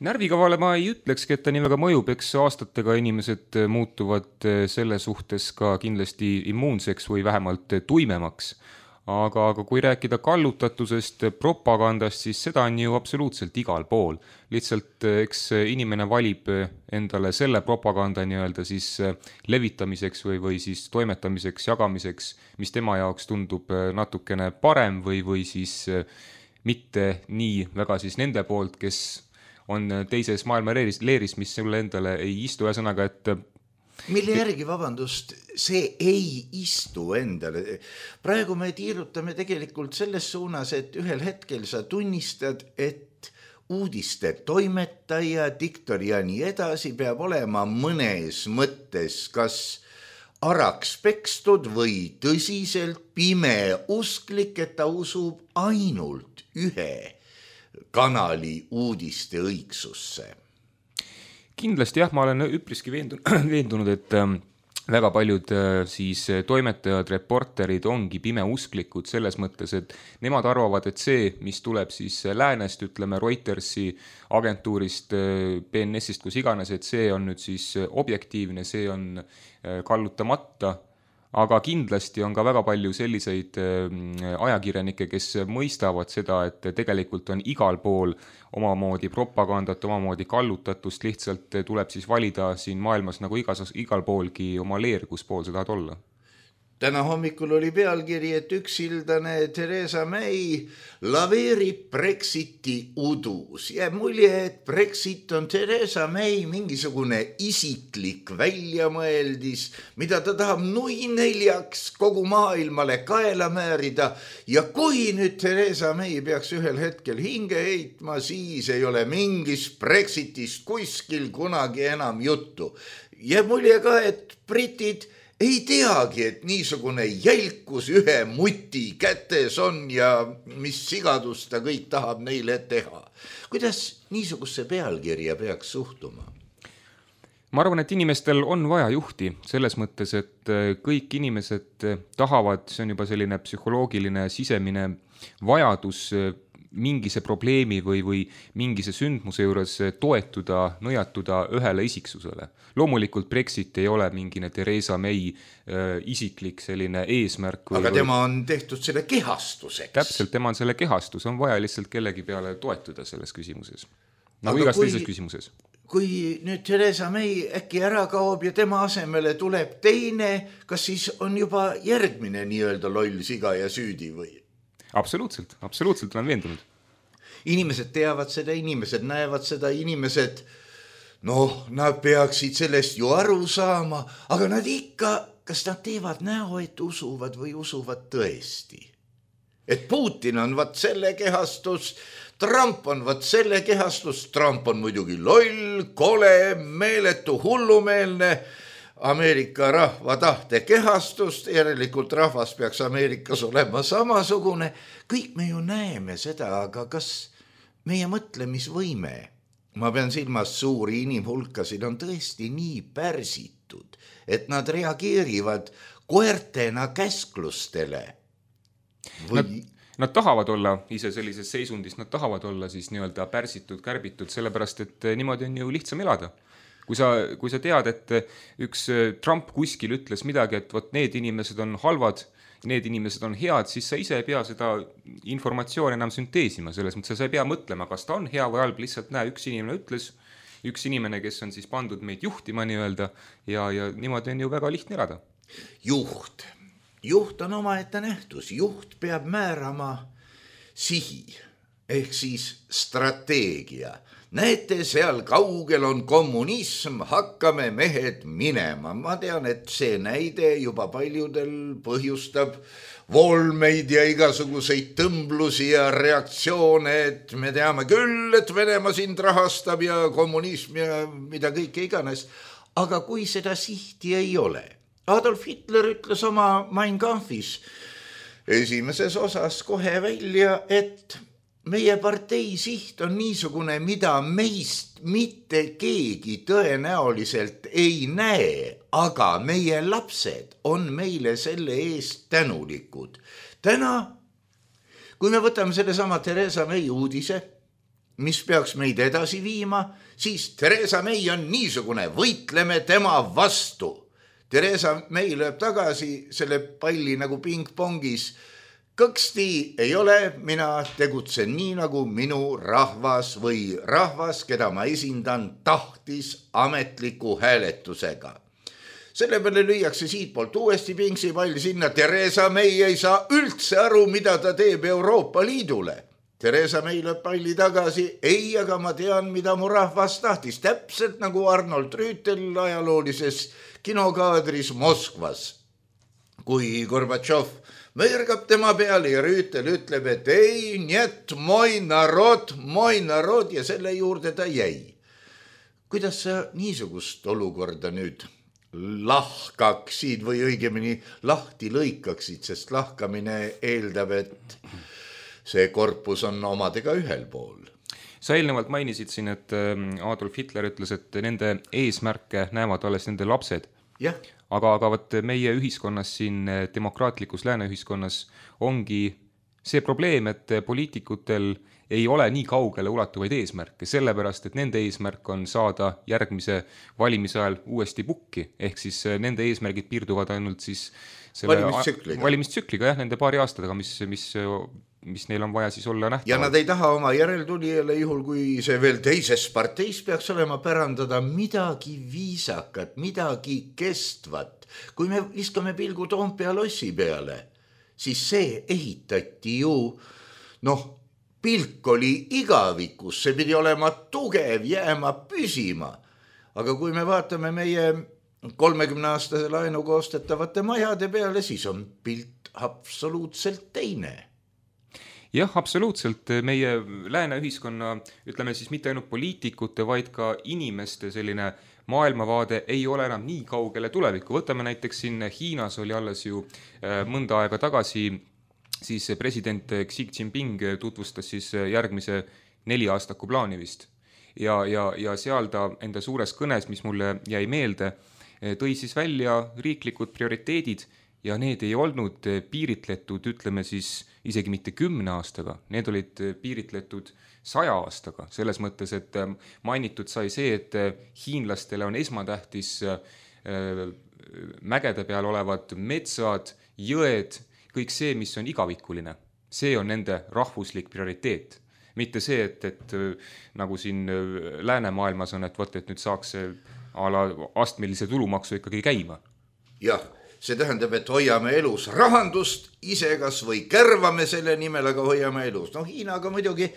Närvikavale ma ei ütlekski, et ta nii väga mõjub, eks aastatega inimesed muutuvad selle suhtes ka kindlasti immuunseks või vähemalt tuimemaks. Aga kui rääkida kallutatusest, propagandast, siis seda on ju absoluutselt igal pool. Lihtsalt eks inimene valib endale selle propaganda siis levitamiseks või siis toimetamiseks, jagamiseks, mis tema jaoks tundub natukene parem või siis mitte nii väga siis nende poolt, kes on teises maailma leeris, mis sulle endale ei istu. Ühesõnaga, et mille järgi, vabandust, see ei istu endale. Praegu me tiirutame tegelikult selles suunas, et ühel hetkel sa tunnistad, et uudiste toimetaja, diktor ja nii edasi peab olema mõnes mõttes kas araks pekstud või tõsiselt pime usklik, et ta usub ainult ühe kanali uudiste õigsusse. Kindlasti ma olen üpriski veendunud, et väga paljud siis toimetajad, reporterid ongi pimeusklikud selles mõttes, et nemad arvavad, et see, mis tuleb siis läänest, ütleme Reutersi agentuurist, BNS-ist, kus iganes, et see on nüüd siis objektiivne, see on kallutamata. Aga kindlasti on ka väga palju selliseid ajakirjanikke, kes mõistavad seda, et tegelikult on igal pool omamoodi propagandat, omamoodi kallutatust, lihtsalt tuleb siis valida siin maailmas nagu igal poolgi oma leer, kus pool sa tahad olla. Täna hommikul oli pealkiri, et üksildane Theresa May laveerib Brexiti udus. Jääb mulje, et Brexit on Theresa May mingisugune isiklik väljamõeldis, mida ta tahab nui neljaks kogu maailmale kaela määrida. Ja kui nüüd Theresa May peaks ühel hetkel hinge heitma, siis ei ole mingis Brexitist kuskil kunagi enam juttu. Jääb mulje ka, et britid ei teagi, et niisugune jälkus ühe muti kätes on ja mis sigadust ta kõik tahab neile teha. Kuidas niisugusse pealkirja peaks suhtuma? Ma arvan, et inimestel on vaja juhti selles mõttes, et kõik inimesed tahavad, see on juba selline psühholoogiline sisemine vajadus mingise probleemi või mingise sündmuse juures toetuda, nõjatuda ühele isiksusele. Loomulikult Brexit ei ole mingine Theresa May isiklik selline eesmärk. Aga tema on tehtud selle kehastuseks. Täpselt, tema on selle kehastus, on vaja lihtsalt kellegi peale toetuda selles küsimuses. Nagu igas teises küsimuses. Kui nüüd Theresa May äkki ära kaob ja tema asemele tuleb teine, kas siis on juba järgmine nii-öelda loll siga ja süüdi või? Absoluutselt olen veendunud. Inimesed teavad seda, inimesed näevad seda, inimesed, nad peaksid sellest ju aru saama, aga nad ikka, kas nad teevad näo, et usuvad või usuvad tõesti? Et Putin on vaat selle kehastus, Trump on vaat selle kehastus, Trump on muidugi loll, kole, meeletu, hullumeelne, Ameerika rahva tahte kehastust, järelikult rahvas peaks Ameerikas olema samasugune. Kõik me ju näeme seda, aga kas meie mõtlemisvõime, ma pean silmas suuri inimhulkasid, on tõesti nii pärsitud, et nad reageerivad koertena käsklustele? Nad tahavad olla ise sellises seisundis, nad tahavad olla siis nii-öelda pärsitud, kärbitud, sellepärast et niimoodi on ju lihtsam elada. Kui sa tead, et üks Trump kuskil ütles midagi, et võt need inimesed on halvad, need inimesed on head, siis sa ise ei pea seda informatsiooni enam sünteesima. Selles mõttes sa ei pea mõtlema, kas ta on hea või halb, lihtsalt näe, üks inimene ütles, üks inimene, kes on siis pandud meid juhtima nii-öelda ja niimoodi on ju väga lihtne elada. Juht on omaette nähtus. Juht peab määrama sihi ehk siis strateegia. Näete, seal kaugel on kommunism, hakkame mehed minema. Ma tean, et see näide juba paljudel põhjustab volmeid ja igasuguseid tõmblusi ja reaktsioone, et me teame küll, et Venemaa sind rahastab ja kommunism ja mida kõike iganes. Aga kui seda sihti ei ole, Adolf Hitler ütles oma Mein Kampfis esimeses osas kohe välja, et meie partei siht on niisugune, mida meist mitte keegi tõenäoliselt ei näe, aga meie lapsed on meile selle eest tänulikud. Täna, kui me võtame selle sama Theresa May uudise, mis peaks meid edasi viima, siis Theresa May on niisugune, võitleme tema vastu. Theresa May lööb tagasi selle palli nagu pingpongis. Kõksti ei ole, mina tegutsen nii, nagu minu rahvas või rahvas, keda ma esindan, tahtis ametliku hääletusega. Selle peale lüüakse siitpoolt uuesti pingsipall sinna. Theresa May ei saa üldse aru, mida ta teeb Euroopa Liidule. Theresa May lööb palli tagasi. Ei, aga ma tean, mida mu rahvas tahtis. Täpselt nagu Arnold Rüütel ajaloolises kinokaadris Moskvas. Kui Gorbatšov märgab tema peale ja Rüütel ütleb, et ei, niet, moi narod ja selle juurde ta jäi. Kuidas sa niisugust olukorda nüüd lahkaksid või õigemini lahti lõikaksid, sest lahkamine eeldab, et see korpus on omadega ühel pool? Sa eelnevalt mainisid siin, et Adolf Hitler ütles, et nende eesmärke näevad alles nende lapsed. Jah. Aga võt meie ühiskonnas siin, demokraatlikus lääneühiskonnas ongi see probleem, et poliitikutel ei ole nii kaugele ulatuvaid eesmärke, sellepärast, et nende eesmärk on saada järgmise valimise ajal uuesti pukki, ehk siis nende eesmärgid piirduvad ainult siis valimistsükliga, nende paari aastatega, mis neil on vaja siis olla nähtavad. Ja nad ei taha oma järeltulijale, juhul kui see veel teises parteis peaks olema, pärandada midagi viisakat, midagi kestvat. Kui me viskame pilgu Toompea lossi peale, siis see ehitati ju, pilk oli igavikus, see pidi olema tugev, jääma püsima. Aga kui me vaatame meie 30-aastase laenu koostetavate majade peale, siis on pilt absoluutselt teine. Jah, absoluutselt. Meie lääne ühiskonna, ütleme siis mitte ainult poliitikute, vaid ka inimeste selline maailmavaade ei ole enam nii kaugele tulevikku. Võtame näiteks siin Hiinas oli alles ju mõnda aega tagasi siis president Xi Jinping tutvustas siis järgmise 4-aastaku plaani vist. Ja seal ta enda suures kõnes, mis mulle jäi meelde, tõi siis välja riiklikud prioriteedid ja need ei olnud piiritletud, ütleme siis isegi mitte 10 aastaga, need olid piiritletud 100 aastaga, selles mõttes, et mainitud sai see, et hiinlastele on esmatähtis mägede peal olevad metsad, jõed, kõik see, mis on igavikuline, see on nende rahvuslik prioriteet. Mitte see, et nagu siin läänemaailmas on, et võt, et nüüd saaks astmelise tulumaksu ikkagi käima. Jah, see tähendab, et hoiame elus rahandust, ise kas või kärvame selle nimel, aga hoiame elus. No Hiinaga muidugi,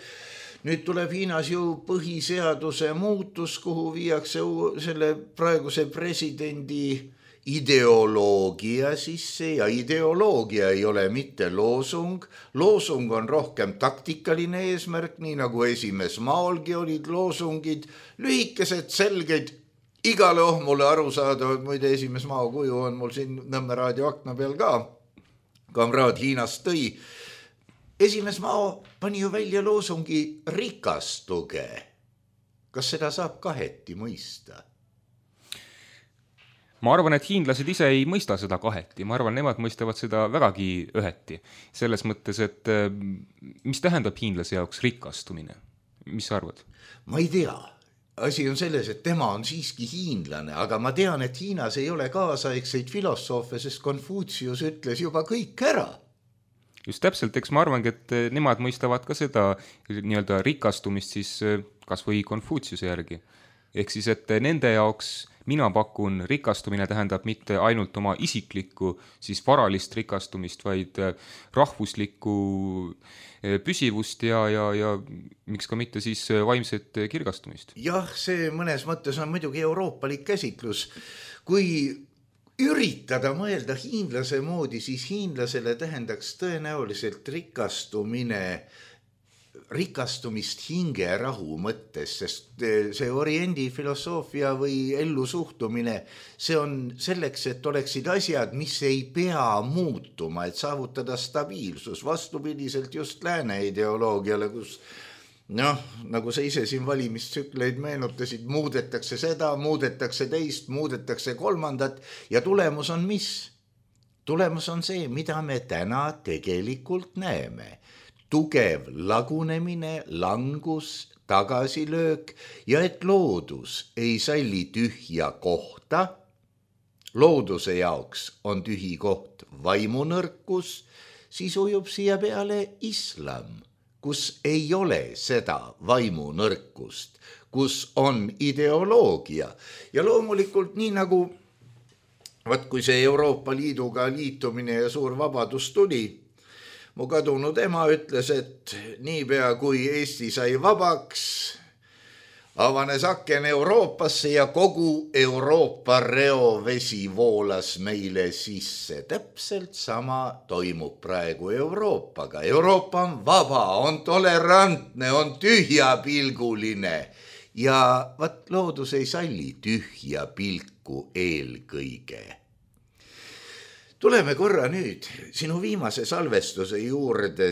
nüüd tuleb Hiinas ju põhiseaduse muutus, kuhu viiakse selle praeguse presidendi ideoloogia sisse ja ideoloogia ei ole mitte loosung. Loosung on rohkem taktikaline eesmärk, nii nagu esimees maolgi olid loosungid, lühikesed, selged, igale mulle aru saadavad, muide esimees mao kuju on mul siin Nõmme raadio akna peal ka, kamraad Hiinast tõi. Esimees mao pani ju välja loosungi rikastuge. Kas seda saab kaheti mõista? Ma arvan, et hiinlased ise ei mõista seda kaheti. Ma arvan, nemad mõistavad seda vägagi üheti. Selles mõttes, et mis tähendab hiinlase jaoks rikastumine? Mis sa arvad? Ma ei tea. Asi on selles, et tema on siiski hiinlane, aga ma tean, et Hiinas ei ole kaasaegseid filosoofe, sest Konfutsius ütles juba kõik ära. Just täpselt, eks ma arvangi, et nemad mõistavad ka seda nii-öelda rikastumist siis kas või Konfutsiuse järgi. Ehk siis, et nende jaoks mina pakun rikastumine tähendab mitte ainult oma isiklikku siis varalist rikastumist, vaid rahvuslikku püsivust ja miks ka mitte siis vaimset kirgastumist. Jah, see mõnes mõttes on muidugi euroopalik käsitlus. Kui üritada mõelda hiinlase moodi, siis hiinlasele tähendaks tõenäoliselt rikastumist hingerahu mõttes, sest see oriendi filosoofia või ellu suhtumine, see on selleks, et oleksid asjad, mis ei pea muutuma, et saavutada stabiilsus, vastupidiselt just lääne ideoloogiale, kus nagu sa ise siin valimistsükleid meenutasid, muudetakse seda, muudetakse teist, muudetakse kolmandat ja tulemus on mis? Tulemus on see, mida me täna tegelikult näeme. Tugev lagunemine, langus, tagasilöök ja et loodus ei salli tühja kohta. Looduse jaoks on tühi koht vaimunõrkus, siis ujub siia peale islam, kus ei ole seda vaimunõrkust, kus on ideoloogia. Ja loomulikult nii nagu, kui see Euroopa Liiduga liitumine ja suur vabadus tuli, mu kadunud ema ütles, et niipea kui Eesti sai vabaks, avanes aken Euroopasse ja kogu Euroopa reovesi voolas meile sisse. Täpselt sama toimub praegu Euroopaga. Euroopa on vaba, on tolerantne, on tühjapilguline ja loodus ei salli tühja pilku eelkõige. Tuleme korra nüüd sinu viimase salvestuse juurde.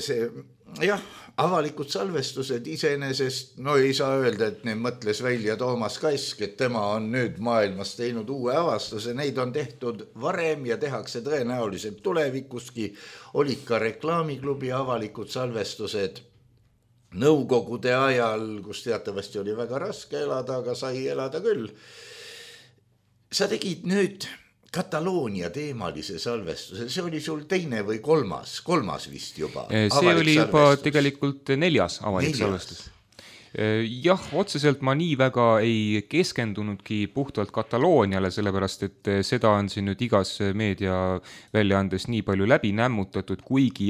Avalikud salvestused iseenesest, ei saa öelda, et need mõtles välja Toomas Kask, et tema on nüüd maailmas teinud uue avastuse. Neid on tehtud varem ja tehakse tõenäoliselt tulevikuski. Olid ka reklaamiklubi avalikud salvestused nõukogude ajal, kus teatavasti oli väga raske elada, aga sai elada küll. Sa tegid nüüd Kataloonia teemalise salvestuse, see oli sul teine või kolmas vist juba. See oli juba tegelikult 4. avalik salvestus. Jah, otseselt ma nii väga ei keskendunudki puhtalt Katalooniale, sellepärast et seda on siin nüüd igas meediaväljaandes nii palju läbi nämmutatud, kuigi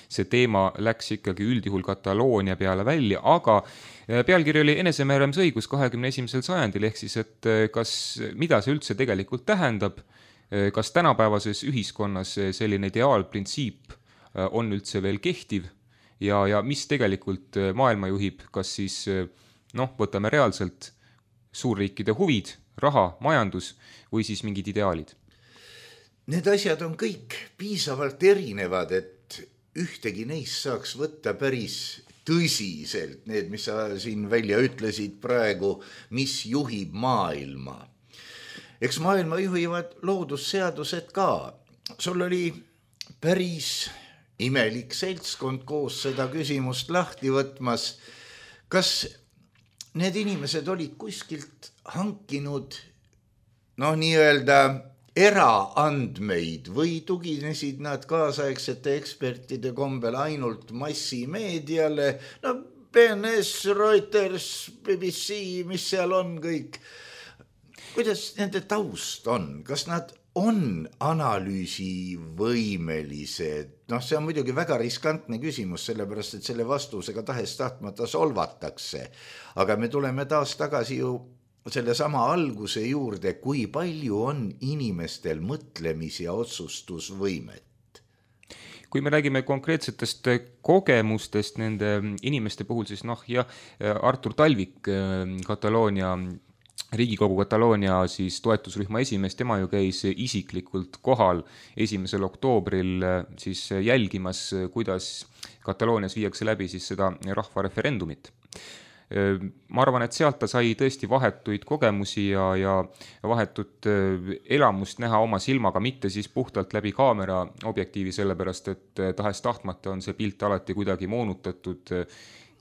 see teema läks ikkagi üldjuhul Kataloonia peale välja, aga pealkiri oli enesemääramisõigus 21. sajandil, ehk siis, et mida see üldse tegelikult tähendab, kas tänapäevases ühiskonnas selline ideaalprintsiip on üldse veel kehtiv ja mis tegelikult maailma juhib, kas siis võtame reaalselt suurriikide huvid raha, majandus või siis mingid ideaalid? Need asjad on kõik piisavalt erinevad, et ühtegi neist saaks võtta päris tõsiselt. Need, mis sa siin välja ütlesid praegu, mis juhib maailma. Eks maailma juhivad loodusseadused ka. Sul oli päris imelik seltskond koos seda küsimust lahti võtmas. Kas need inimesed olid kuskilt hankinud nii-öelda eraandmeid või tuginesid nad kaasaegsete ekspertide kombel ainult massimeediale, BNS, Reuters, BBC, mis seal on kõik. Kuidas nende taust on? Kas nad on analüüsivõimelised? See on muidugi väga riskantne küsimus, sellepärast et selle vastusega tahes-tahtmata solvatakse. Aga me tuleme taas tagasi ju selle sama alguse juurde, kui palju on inimestel mõtlemis- ja otsustusvõimet. Kui me räägime konkreetsetest kogemustest nende inimeste puhul, siis Artur Talvik, Riigikogu Kataloonia siis toetusrühma esimees, tema ju käis isiklikult kohal 1. oktoobril siis jälgimas, kuidas Kataloonias viiakse läbi siis seda rahvareferendumit. Ma arvan, et sealt ta sai tõesti vahetuid kogemusi ja vahetut elamust näha oma silmaga, mitte siis puhtalt läbi kaamera objektiivi, sellepärast et tahes-tahtmata on see pilt alati kuidagi moonutatud,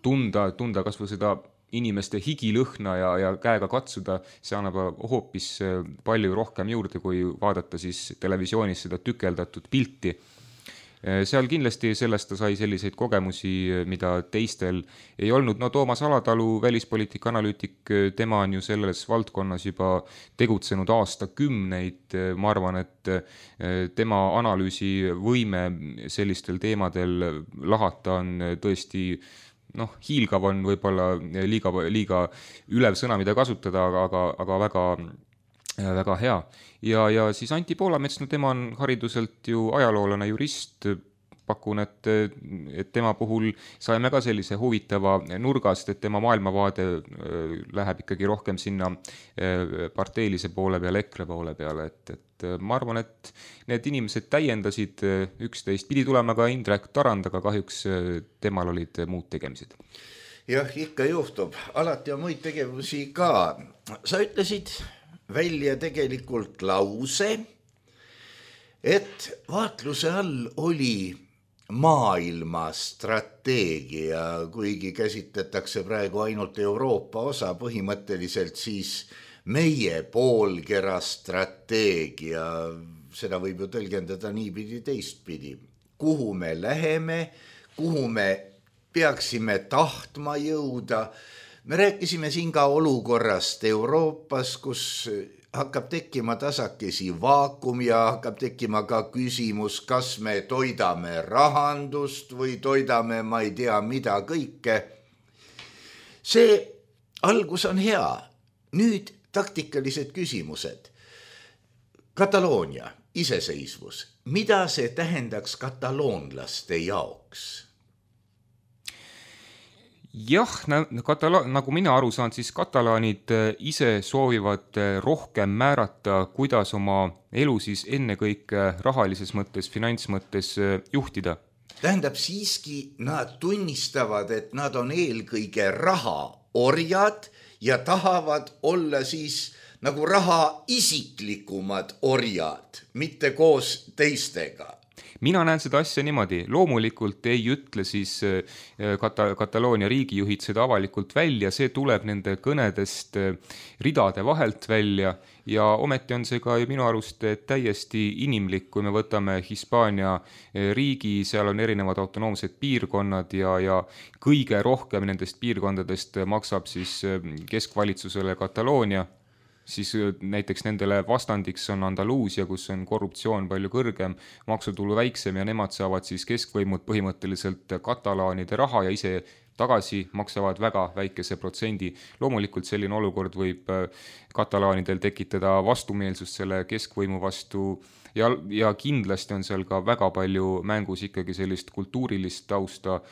tunda kas või seda inimeste higilõhna ja käega katsuda, see annab hoopis palju rohkem juurde, kui vaadata siis televisioonis seda tükeldatud pilti. Seal kindlasti sellest ta sai selliseid kogemusi, mida teistel ei olnud. Toomas Alatalu, välispoliitika analüütik, tema on ju selles valdkonnas juba tegutsenud aastakümneid. Ma arvan, et tema analüüsivõime sellistel teemadel lahata on tõesti hiilgav on võib-olla liiga ülev sõna, mida kasutada, aga väga hea. Ja siis Anti Poolamets, tema on hariduselt ju ajaloolane, jurist. Pakun, et tema puhul saime ka sellise huvitava nurgast, et tema maailmavaade läheb ikkagi rohkem sinna parteilise poole peale, EKRE poole peale. Et ma arvan, et need inimesed täiendasid üksteist. Pidi tulema ka Indrek Tarand, aga kahjuks temal olid muud tegemised. Jah, ikka juhtub. Alati on muid tegevusi ka. Sa ütlesid välja tegelikult lause, et vaatluse all oli maailma strateegia, kuigi käsitletakse praegu ainult Euroopa osa, põhimõtteliselt siis meie poolkera strateegia. Seda võib ju tõlgendada niipidi teistpidi. Kuhu me läheme, kuhu me peaksime tahtma jõuda. Me rääkisime siin ka olukorrast Euroopas, kus hakkab tekkima tasakesi vaakum ja hakkab tekkima ka küsimus, kas me toidame rahandust või toidame ma ei tea mida kõike. See algus on hea. Nüüd taktikalised küsimused. Kataloonia, iseseisvus. Mida see tähendaks kataloonlaste jaoks? Jah, nagu mina aru saan, siis katalaanid ise soovivad rohkem määrata, kuidas oma elu siis ennekõike rahalises mõttes, finantsmõttes juhtida. Tähendab siiski, nad tunnistavad, et nad on eelkõige rahaorjad ja tahavad olla siis nagu raha isiklikumad orjad, mitte koos teistega. Mina näen seda asja niimoodi. Loomulikult ei ütle siis Kataloonia riigijuhid seda avalikult välja, see tuleb nende kõnedest ridade vahelt välja ja ometi on see ka minu arust täiesti inimlik, kui me võtame Hispaania riigi, seal on erinevad autonoomsed piirkonnad ja kõige rohkem nendest piirkondadest maksab siis keskvalitsusele Kataloonia. Siis näiteks nendele vastandiks on Andaluusia, kus on korruptsioon palju kõrgem, maksutulu väiksem ja nemad saavad siis keskvõimud põhimõtteliselt katalaanide raha ja ise tagasi maksavad väga väikese protsendi. Loomulikult selline olukord võib katalaanidel tekitada vastumeelsust selle keskvõimu vastu ja kindlasti on seal ka väga palju mängus ikkagi sellist kultuurilist tausta,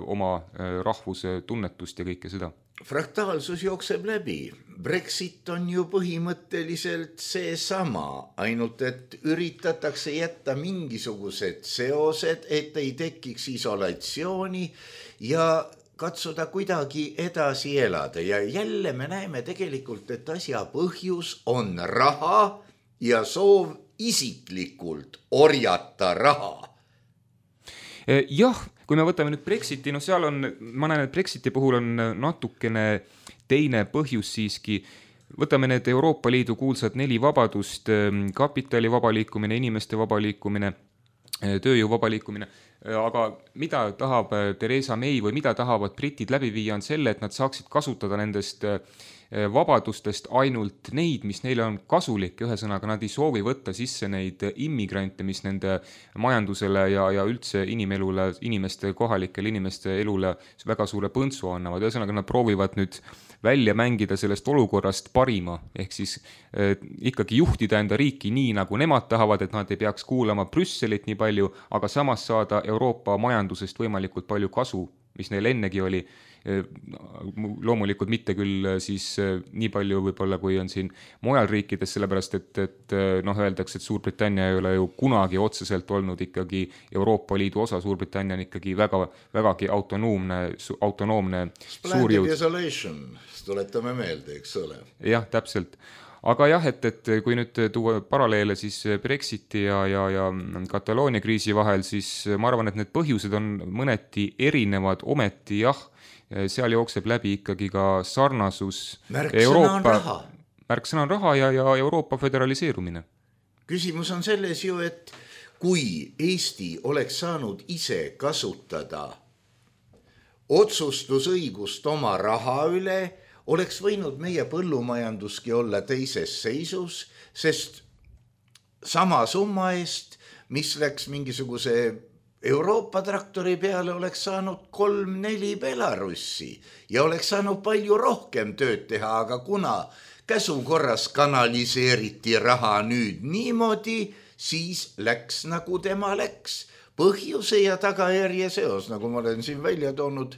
oma rahvuse tunnetust ja kõike seda. fraktaalsus jookseb läbi. Brexit on ju põhimõtteliselt seesama, ainult et üritatakse jätta mingisugused seosed, et ei tekiks isolatsiooni ja katsuda kuidagi edasi elada. Ja jälle me näeme tegelikult, et asja põhjus on raha ja soov isiklikult orjata raha. Jah, kui me võtame nüüd Brexiti, no seal on, ma näen, et Brexiti puhul on natukene teine põhjus siiski. Võtame need Euroopa Liidu kuulsad 4 vabadust, kapitali vaba liikumine, inimeste vaba liikumine, tööjõu vaba liikumine, aga mida tahab Theresa May või mida tahavad britid läbi viia on selle, et nad saaksid kasutada nendest vabadustest ainult neid, mis neile on kasulik, ühesõnaga nad ei soovi võtta sisse neid immigrante, mis nende majandusele ja üldse inimelule, kohalikele inimeste elule väga suure põntsu annavad. Ühesõnaga nad proovivad nüüd välja mängida sellest olukorrast parima, ehk siis ikkagi juhtida enda riiki nii, nagu nemad tahavad, et nad ei peaks kuulama Brüsselit nii palju, aga samas saada Euroopa majandusest võimalikult palju kasu, mis neil ennegi oli. Loomulikult mitte küll siis nii palju võib-olla, kui on siin mujal riikides, sellepärast et öeldakse, et Suurbritannia ei ole ju kunagi otseselt olnud ikkagi Euroopa Liidu osa. Suurbritannia on ikkagi vägagi autonoomne suurjõud. Splendid isolation, tuletame meelde, eks ole. Jah, täpselt. Aga jah, et kui nüüd tuua paralleele siis Brexiti ja Kataloonia kriisi vahel, siis ma arvan, et need põhjused on mõneti erinevad, ometi jah, seal jookseb läbi ikkagi ka sarnasus. Märksõna on raha ja Euroopa föderaliseerumine. Küsimus on selles ju, et kui Eesti oleks saanud ise kasutada otsustusõigust oma raha üle, oleks võinud meie põllumajanduski olla teises seisus, sest sama summa eest, mis läks mingisuguse Euroopa traktori peale, oleks saanud 3-4 Belarussi ja oleks saanud palju rohkem tööd teha, aga kuna käsukorras kanaliseeriti raha nüüd niimoodi, siis läks nagu tema läks. Põhjuse ja tagajärje seos, nagu ma olen siin välja toonud,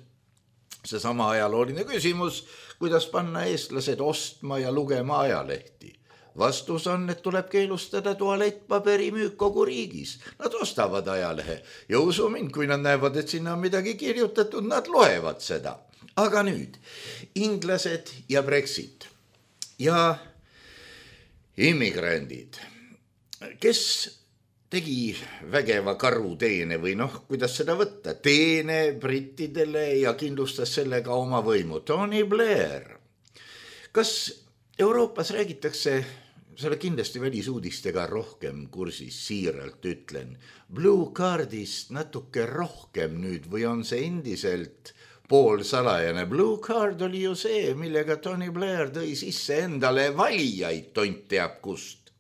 seesama ajalooline küsimus, kuidas panna eestlased ostma ja lugema ajalehti. Vastus on, et tuleb keelustada tualettpaberi müük kogu riigis. Nad ostavad ajalehe ja usu mind, kui nad näevad, et sinna on midagi kirjutatud, nad loevad seda. Aga nüüd, inglased ja Brexit ja immigrandid, kes tegi vägeva karuteene või kuidas seda võtta, teene brittidele ja kindlustas sellega oma võimu. Tony Blair. Kas Euroopas räägitakse, sa oled kindlasti välisuudistega rohkem kursis, siiralt ütlen, Blue Cardist natuke rohkem nüüd või on see endiselt poolsalajane? Blue Card oli ju see, millega Tony Blair tõi sisse endale valijaid, tont teab kust.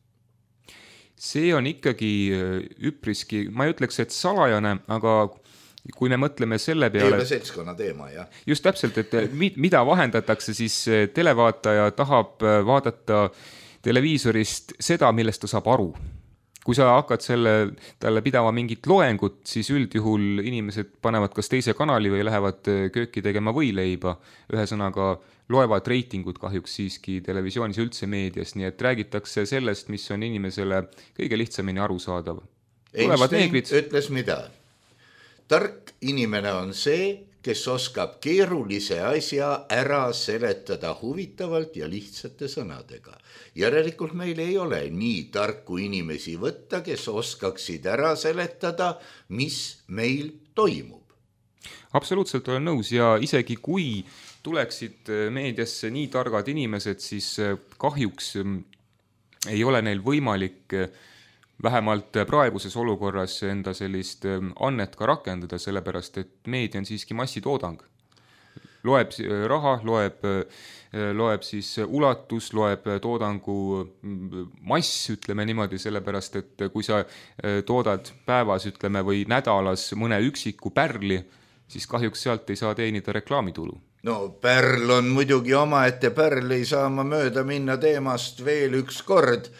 See on ikkagi üpriski, ma ei ütleks, et salajane, aga kui me mõtleme selle peale... Ei ole seltskonna teema, jah. Just täpselt, et mida vahendatakse, siis televaataja tahab vaadata televiisorist seda, millest ta saab aru. Kui sa hakkad talle pidama mingit loengut, siis üldjuhul inimesed panevad kas teise kanali või lähevad kööki tegema võileiba. Ühesõnaga loevad reitingud kahjuks siiski televisioonis üldse meedias, nii et räägitakse sellest, mis on inimesele kõige lihtsamini arusaadav. Einstein ütles mida? Tark inimene on see, kes oskab keerulise asja ära seletada huvitavalt ja lihtsate sõnadega. Järelikult meil ei ole nii tarku inimesi võtta, kes oskaksid ära seletada, mis meil toimub. Absoluutselt olen nõus ja isegi kui tuleksid meediasse nii targad inimesed, siis kahjuks ei ole neil võimalik vähemalt praeguses olukorras enda sellist annet ka rakendada, sellepärast et meedia on siiski massitoodang. Loeb raha, loeb siis ulatus, loeb toodangu mass, ütleme niimoodi, sellepärast et kui sa toodad päevas, ütleme, või nädalas mõne üksiku pärli, siis kahjuks sealt ei saa teenida reklaamitulu. No pärl on muidugi omaette pärl, ei saa ma mööda minna teemast veel üks kord.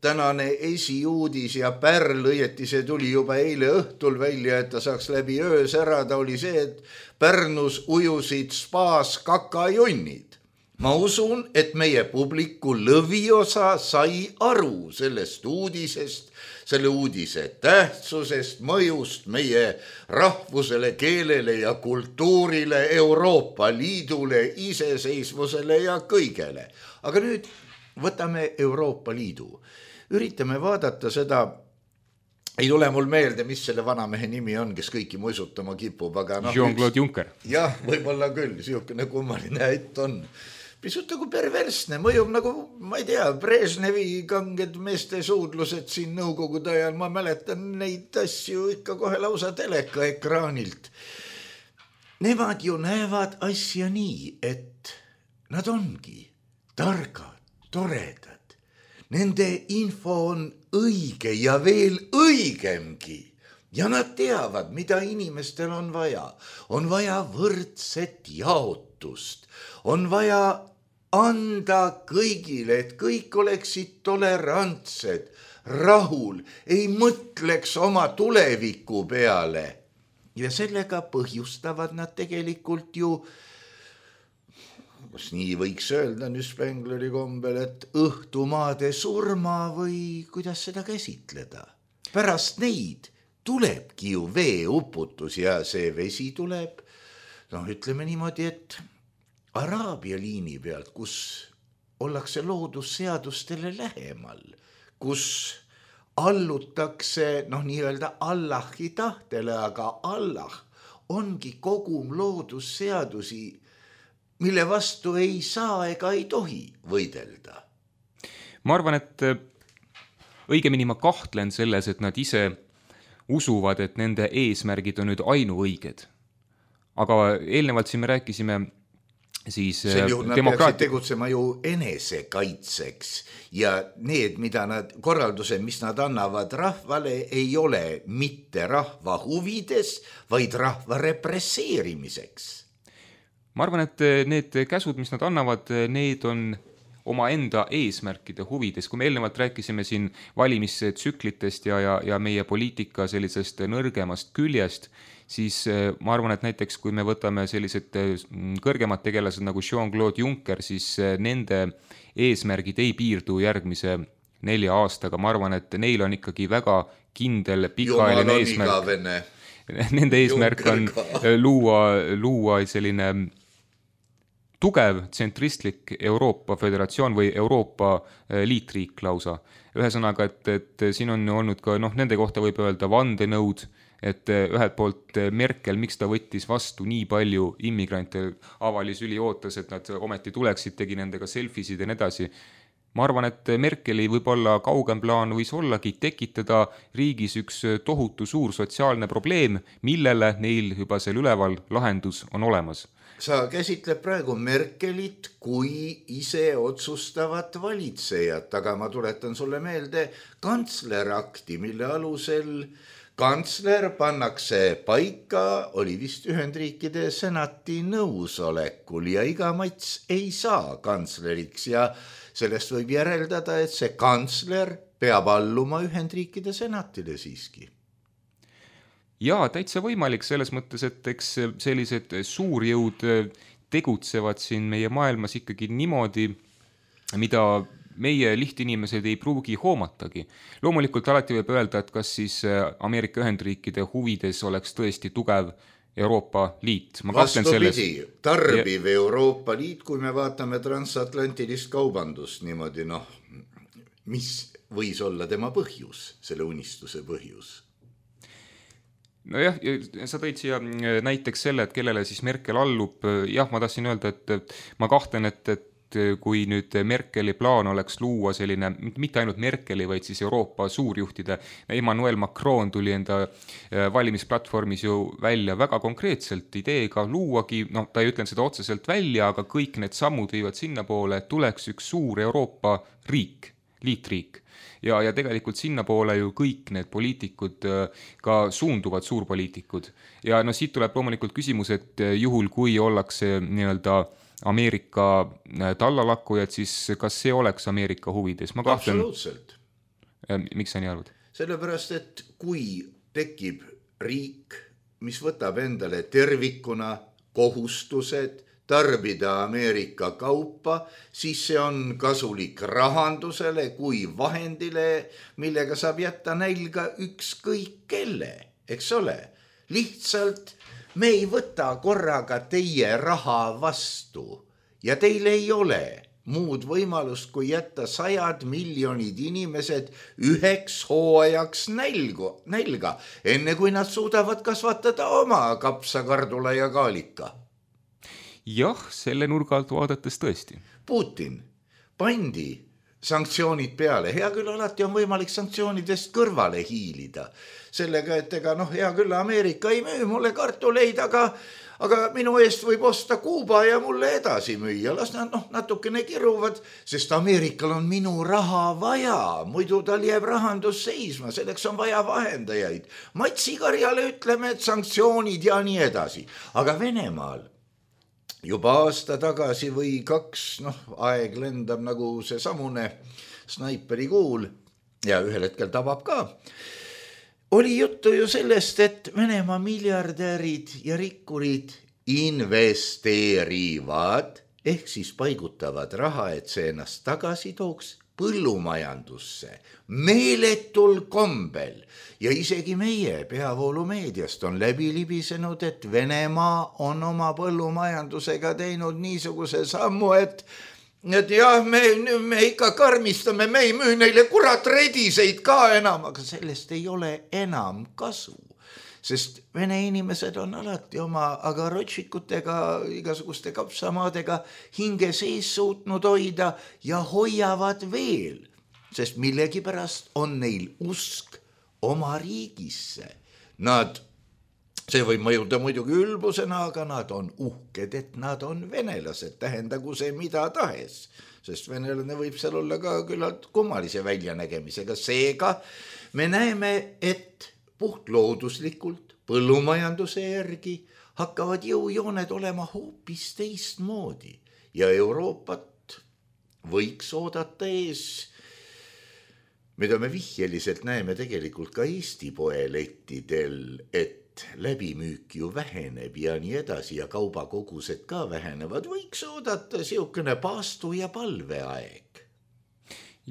tänane esiuudis ja pärl, õieti see tuli juba eile õhtul välja, et ta saaks läbi öö särada, oli see, et Pärnus ujusid spaas kakajunnid. Ma usun, et meie publiku lõviosa sai aru sellest uudisest, selle uudise tähtsusest, mõjust meie rahvusele, keelele ja kultuurile, Euroopa Liidule, iseseisvusele ja kõigele. Aga nüüd võtame Euroopa Liidu. Üritame vaadata seda, ei tule mul meelde, mis selle vanamehe nimi on, kes kõiki muisutama kipub, aga Jean-Claude Juncker. Jah, võib-olla küll, siukene kummaline ett on. Pisut nagu perversne, mõjub nagu, ma ei tea, Brežnevi kanged meeste suudlused siin nõukogude ajal, ma mäletan neid asju ikka kohe lausa teleka ekraanilt. Nemad ju näevad asja nii, et nad ongi targad, toredad. Nende info on õige ja veel õigemgi. Ja nad teavad, mida inimestel on vaja. On vaja võrdset jaotust. On vaja anda kõigile, et kõik oleksid tolerantsed, rahul, ei mõtleks oma tuleviku peale. Ja sellega põhjustavad nad tegelikult ju, kas nii võiks öelda nüüd Spengleri kombel, et õhtumaade surma või kuidas seda käsitleda. Pärast neid tulebki ju veeuputus ja see vesi tuleb, ütleme niimoodi, et Araabia liini pealt, kus ollakse loodusseadustele lähemal, kus allutakse nii-öelda Allahi tahtele, aga Allah ongi kogum loodusseadusi, mille vastu ei saa ega ei tohi võidelda. Ma arvan, et õigemini ma kahtlen selles, et nad ise usuvad, et nende eesmärgid on nüüd ainuõiged. Aga eelnevalt siin me rääkisime siis sel juhul nad peaksid tegutsema ju enesekaitseks ja need, mida nad, korraldused, mis nad annavad rahvale, ei ole mitte rahva huvides, vaid rahva represseerimiseks. Ma arvan, et need käsud, mis nad annavad, need on omaenda eesmärkide huvides. Kui me eelnevalt rääkisime siin valimistsüklitest ja meie poliitika sellisest nõrgemast küljest, siis ma arvan, et näiteks kui me võtame sellised kõrgemad tegelased nagu Jean-Claude Juncker, siis nende eesmärgid ei piirdu järgmise 4 aastaga. Ma arvan, et neil on ikkagi väga kindel pikaajaline eesmärk. Nende eesmärk on luua selline tugev tsentristlik Euroopa Föderatsioon või Euroopa liitriik lausa. Ühesõnaga, et siin on olnud ka, nende kohta võib öelda vandenõud, et ühelt poolt Merkel, miks ta võttis vastu nii palju immigrante, avalis üli ootas, et nad ometi tuleksid, tegi nendega selfisid ja nii edasi. Ma arvan, et Merkeli võib-olla kaugem plaan võis ollagi tekitada riigis üks tohutu suur sotsiaalne probleem, millele neil juba seal üleval lahendus on olemas. Sa käsitled praegu Merkelit kui ise otsustavat valitsejat, aga ma tuletan sulle meelde kantslerakti, mille alusel kantsler pannakse paika, oli vist Ühendriikide senati nõusolekul ja iga mats ei saa kantsleriks ja sellest võib järeldada, et see kantsler peab alluma Ühendriikide senatile siiski. Jaa, täitsa võimalik selles mõttes, et eks sellised suurjõud tegutsevad siin meie maailmas ikkagi niimoodi, mida meie lihtinimesed ei pruugi hoomatagi. Loomulikult alati võib öelda, et kas siis Ameerika Ühendriikide huvides oleks tõesti tugev Euroopa Liit. Vastupidi, tarbiv Euroopa Liit, kui me vaatame transatlantilist kaubandust niimoodi, mis võis olla tema põhjus, selle unistuse põhjus? Nojah, sa tõid siia näiteks selle, et kellele siis Merkel allub. Jah, ma tahtsin öelda, et ma kahtlen, et kui nüüd Merkeli plaan oleks luua selline, mitte ainult Merkeli, vaid siis Euroopa suurjuhtide, Emmanuel Macron tuli enda valimisplatvormis ju välja väga konkreetselt ideega luuagi, ta ei ütlen seda otseselt välja, aga kõik need sammud viivad sinna poole, et tuleks üks suur Euroopa riik, liitriik. Ja tegelikult sinna poole ju kõik need poliitikud ka suunduvad suurpoliitikud. Ja siit tuleb loomulikult küsimus, et juhul kui ollakse nii-öelda Ameerika tallalakkujad, siis kas see oleks Ameerika huvides? Absoluutselt. Miks sa nii arvad? Sellepärast, et kui tekib riik, mis võtab endale tervikuna kohustused tarbida Ameerika kaupa, siis see on kasulik rahandusele kui vahendile, millega saab jätta nälga ükskõik kelle, eks ole. Lihtsalt me ei võta korraga teie raha vastu ja teil ei ole muud võimalust, kui jätta 100 miljonid inimesed üheks hooajaks nälga, enne kui nad suudavad kasvatada oma kapsa, kardula ja kaalika. Jah, selle nurga alt vaadates tõesti. Putin pandi sanktsioonid peale. Hea küll, alati on võimalik sanktsioonidest kõrvale hiilida. Sellega, et hea küll, Ameerika ei müü mulle kartuleid, aga minu eest võib osta Kuuba ja mulle edasi müüa. Las nad natukene kiruvad, sest Ameerikal on minu raha vaja. Muidu tal jääb rahandus seisma, selleks on vaja vahendajaid. Matsikarjale ütleme, et sanktsioonid ja nii edasi. Aga Venemaal juba aasta tagasi või 2, aeg lendab nagu see samune snaiperi kuul ja ühel hetkel tabab ka. Oli juttu ju sellest, et Venemaa miljardärid ja rikkurid investeerivad ehk siis paigutavad raha, et see ennast tagasi tooks põllumajandusse meeletul kombel ja isegi meie peavoolumeediast on läbi libisenud, et Venemaa on oma põllumajandusega teinud niisuguse sammu, et jah, me ikka karmistame, me ei müü neile kurat rediseid ka enam, aga sellest ei ole enam kasu. Sest vene inimesed on alati oma agarotšikutega, igasuguste kapsamaadega hinge sees suutnud hoida ja hoiavad veel, sest millegipärast on neil usk oma riigisse. See võib mõjuda muidugi ülbusena, aga nad on uhked, et nad on venelased, tähendagu see mida tahes, sest venelane võib seal olla ka küllalt kummalise väljanägemisega. Seega me näeme, et puhtlooduslikult põllumajanduse järgi hakkavad jõujooned olema hoopis teistmoodi ja Euroopat võiks oodata ees, mida me vihjeliselt näeme tegelikult ka Eesti poelettidel, et läbimüük ju väheneb ja nii edasi ja kaubakogused ka vähenevad, võiks oodata siukene paastu ja palveaeg.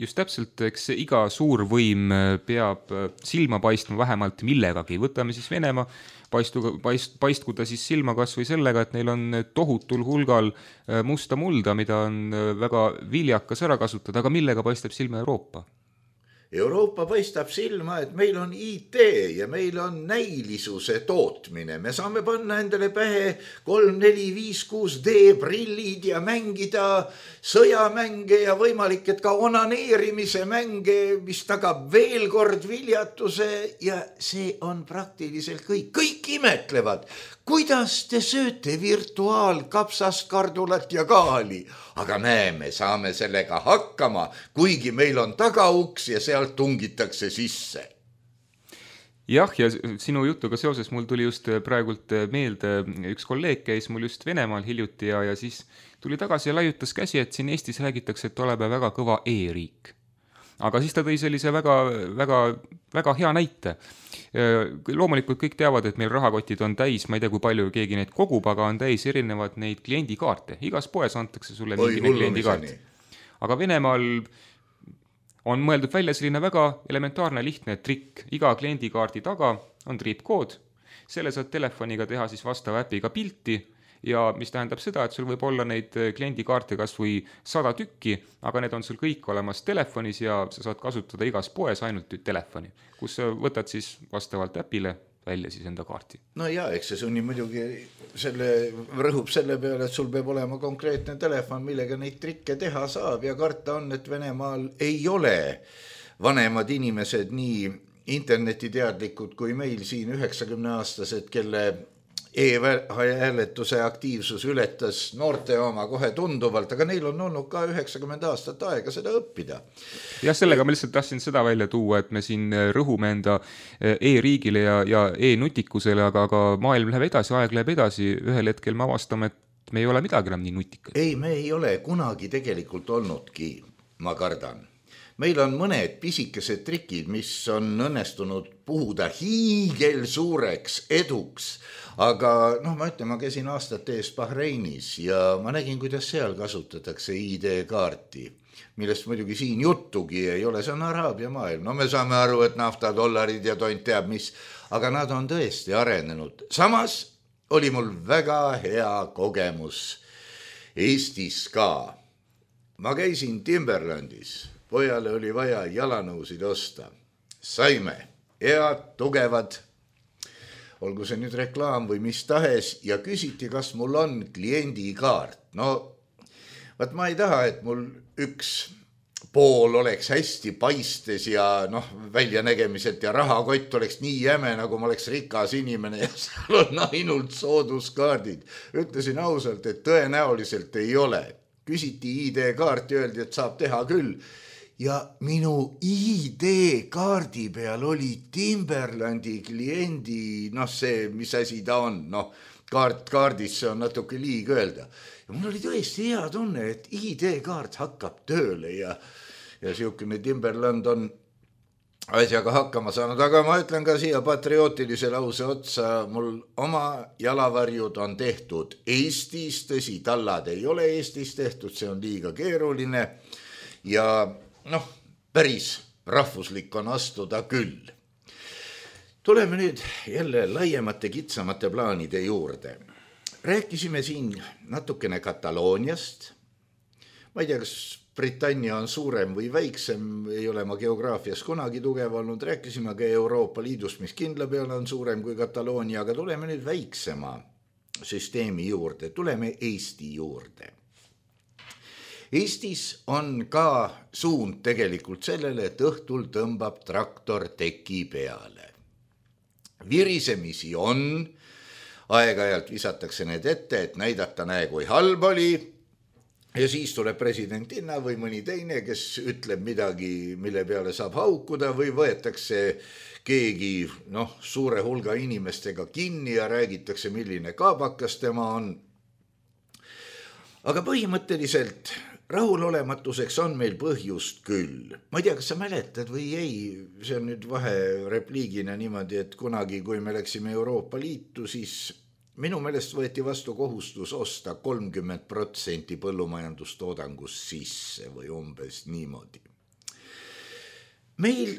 Just täpselt, eks iga suur võim peab silma paistma vähemalt millegagi. Võtame siis Venemaa, paistku ta siis silma kas või sellega, et neil on tohutul hulgal musta mulda, mida on väga viljakas ära kasutada, aga millega paistab silma Euroopa? Euroopa paistab silma, et meil on IT ja meil on näilisuse tootmine. Me saame panna endale pähe 3, 4, 5, 6D prillid ja mängida sõjamänge ja võimalik, et ka onaneerimise mänge, mis tagab veel kord viljatuse ja see on praktiliselt kõik. Kõik imetlevad, kuidas te sööte virtuaalkapsast, kardulat ja kaali. Aga näeme, saame sellega hakkama, kuigi meil on tagauks ja sealt tungitakse sisse. Jah, ja sinu jutuga seoses mul tuli just praegult meelde, üks kolleeg käis mul just Venemaal hiljuti ja siis tuli tagasi ja laiutas käsi, et siin Eestis räägitakse, et oleme väga kõva e-riik. Aga siis ta tõi sellise väga hea näite. Loomulikult kõik teavad, et meil rahakotid on täis, ma ei tea, kui palju keegi neid kogub, aga on täis erinevad neid kliendikaarte. Igas poes antakse sulle mingine kliendikaart. Aga Venemaal on mõeldud välja selline väga elementaarne lihtne trikk. Iga kliendikaardi taga on triipkood. Selle saad telefoniga teha siis vastava äpiga pilti ja mis tähendab seda, et sul võib olla neid kliendikaarte kas või 100 tükki, aga need on sul kõik olemas telefonis ja sa saad kasutada igas poes ainult telefoni, kus võtad siis vastavalt äpile välja siis enda kaarti. No jaa, eks see sunni muidugi rõhub selle peale, et sul peab olema konkreetne telefon, millega neid trikke teha saab ja karta on, et Venemaal ei ole vanemad inimesed nii internetiteadlikud kui meil siin 90-aastased, kelle e-hääletuse aktiivsus ületas noorte oma kohe tunduvalt, aga neil on olnud ka 90 aastat aega seda õppida. Ja sellega ma lihtsalt tahtsin seda välja tuua, et me siin rõhume enda e-riigile ja e-nutikusele, aga maailm läheb edasi, aeg läheb edasi, ühel hetkel me avastame, et me ei ole midagi enam nii nutikad. Ei, me ei ole kunagi tegelikult olnudki, ma kardan. meil on mõned pisikesed trikid, mis on õnnestunud puhuda hiigelsuureks eduks, aga ma ütlen, ma käisin aastate eest Bahreinis ja ma nägin, kuidas seal kasutatakse ID-kaarti, millest muidugi siin juttugi ei ole, see on Araabia maailm. Me saame aru, et nafta, dollarid ja tont teab mis, aga nad on tõesti arenenud. Samas oli mul väga hea kogemus Eestis ka. Ma käisin Timberlandis, pojale oli vaja jalanõusid osta. Saime head, tugevad, olgu see nüüd reklaam või mis tahes, ja küsiti, kas mul on kliendikaart. Vaat ma ei taha, et mul üks pool oleks hästi paistes ja väljanägemiselt ja rahakott oleks nii jäme, nagu ma oleks rikas inimene ja seal on ainult sooduskaardid. Ütlesin ausalt, et tõenäoliselt ei ole. Küsiti ID-kaarti, öeldi, et saab teha küll. Ja minu ID-kaardi peal oli Timberlandi kliendi, see, mis asi ta on, kaardis see on natuke liig öelda. Ja mul oli tõesti hea tunne, et ID-kaart hakkab tööle ja siukene Timberland on asjaga hakkama saanud, aga ma ütlen ka siia patriootilise lause otsa, mul oma jalavarjud on tehtud Eestis, tõsi, tallad ei ole Eestis tehtud, see on liiga keeruline ja päris rahvuslik on astuda küll. Tuleme nüüd jälle laiemate, kitsamate plaanide juurde. Rääkisime siin natukene Katalooniast. Ma ei tea, kas Britannia on suurem või väiksem, ei ole ma geograafias kunagi tugev olnud. Rääkisime ka Euroopa Liidust, mis kindla peale on suurem kui Kataloonia, aga tuleme nüüd väiksema süsteemi juurde. Tuleme Eesti juurde. Eestis on ka suund tegelikult sellele, et õhtul tõmbab traktor teki peale. Virisemisi on, aeg-ajalt visatakse need ette, et näidata näe, kui halb oli, ja siis tuleb presidentinna või mõni teine, kes ütleb midagi, mille peale saab haukuda või võetakse keegi suure hulga inimestega kinni ja räägitakse, milline kaabakas tema on. Aga põhimõtteliselt rahulolematuseks on meil põhjust küll. Ma ei tea, kas sa mäletad või ei, see on nüüd vaherepliigina niimoodi, et kunagi, kui me läksime Euroopa Liitu, siis minu meelest võeti vastu kohustus osta 30% põllumajandustoodangust sisse või umbes niimoodi. Meil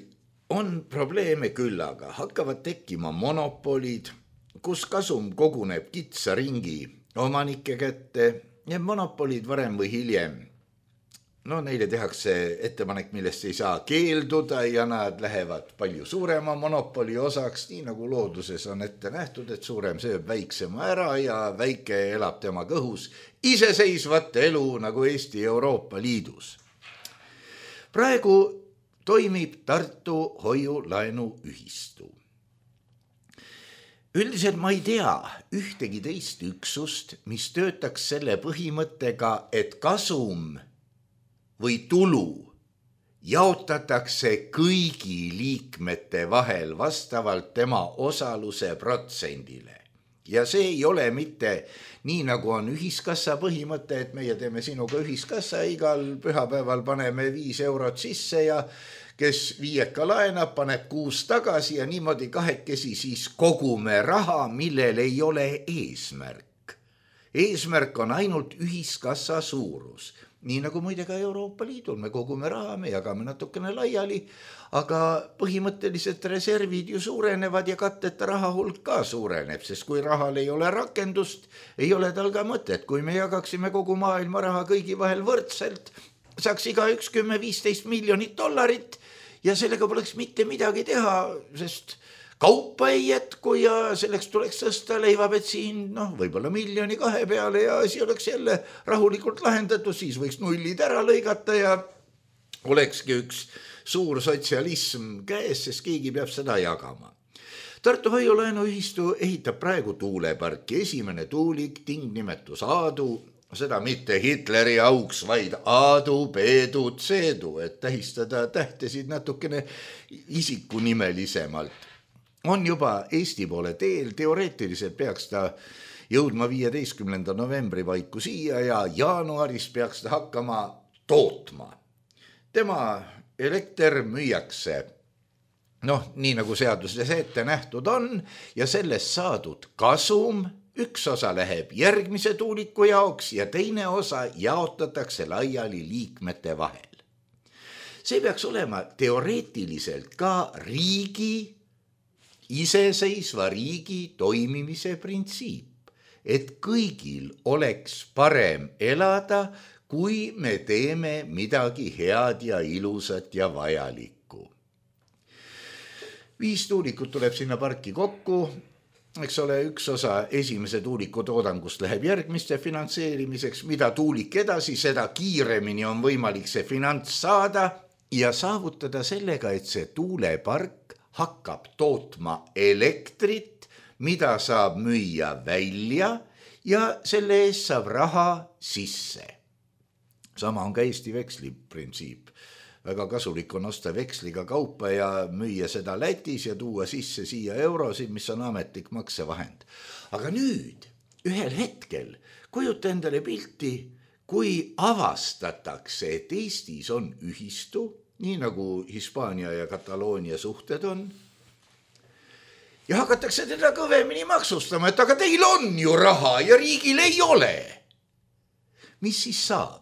on probleeme küll, aga hakkavad tekkima monopolid, kus kasum koguneb kitsa ringi omanike kätte ja monopolid varem või hiljem. Neile tehakse ettepanek, millest ei saa keelduda ja nad lähevad palju suurema monopoli osaks, nii nagu looduses on ette nähtud, et suurem sööb väiksema ära ja väike elab tema kõhus iseseisvat elu nagu Eesti Euroopa Liidus. Praegu toimib Tartu hoiulaenuühistu. Üldiselt ma ei tea ühtegi teist üksust, mis töötaks selle põhimõttega, et kasum või tulu jaotatakse kõigi liikmete vahel vastavalt tema osaluse protsendile. Ja see ei ole mitte nii, nagu on ühiskassa põhimõte, et meie teeme sinuga ühiskassa, igal pühapäeval paneme 5 eurot sisse ja kes 5 laenab, paneb 6 tagasi ja niimoodi kahekesi siis kogume raha, millel ei ole eesmärk. Eesmärk on ainult ühiskassa suurus. Nii nagu muide ka Euroopa Liidul, me kogume raha, me jagame natukene laiali, aga põhimõtteliselt reservid ju suurenevad ja katteta raha hulk ka suureneb, sest kui rahal ei ole rakendust, ei ole tal ka mõtet. Kui me jagaksime kogu maailma raha kõigi vahel võrdselt, saaks iga 10-15 miljonit dollarit ja sellega poleks mitte midagi teha, sest kaupa ei jätku ja selleks tuleks tõsta leivabensiin, võib-olla 1-2 miljoni peale ja asi oleks jälle rahulikult lahendatud, siis võiks nullid ära lõigata ja olekski üks suur sotsialism käes, sest keegi peab seda jagama. Tartu hoiulaenuühistu ehitab praegu tuuleparki, esimene tuulik, tingnimetus Aadu, seda mitte Hitleri auks, vaid Aadu, Peedu, Tseedu, et tähistada tähtesid natukene isikunimelisemalt. On juba Eesti poole teel, teoreetiliselt peaks ta jõudma 15. novembri paiku siia ja jaanuaris peaks ta hakkama tootma. Tema elekter müüakse nii nagu seaduses ette nähtud on ja sellest saadud kasum, üks osa läheb järgmise tuuliku jaoks ja teine osa jaotatakse laiali liikmete vahel. See peaks olema teoreetiliselt ka riigi, iseseisva riigi toimimise printsiip, et kõigil oleks parem elada, kui me teeme midagi head ja ilusat ja vajalikku. 5 tuulikut tuleb sinna parki kokku, eks ole, üks osa esimese tuuliku toodangust läheb järgmiste finantseerimiseks, mida tuulik edasi, seda kiiremini on võimalik see finants saada ja saavutada sellega, et see tuulepark hakkab tootma elektrit, mida saab müüa välja ja selle eest saab raha sisse. Sama on ka Eesti veksli printsiip. Väga kasulik on osta veksliga kaupa ja müüa seda Lätis ja tuua sisse siia eurosid, mis on ametlik maksevahend. Aga nüüd, ühel hetkel, kujuta endale pilti, kui avastatakse, et Eestis on ühistu, nii nagu Hispaania ja Kataloonia suhted on, ja hakatakse teda kõvemini maksustama, et aga teil on ju raha ja riigil ei ole. Mis siis saab?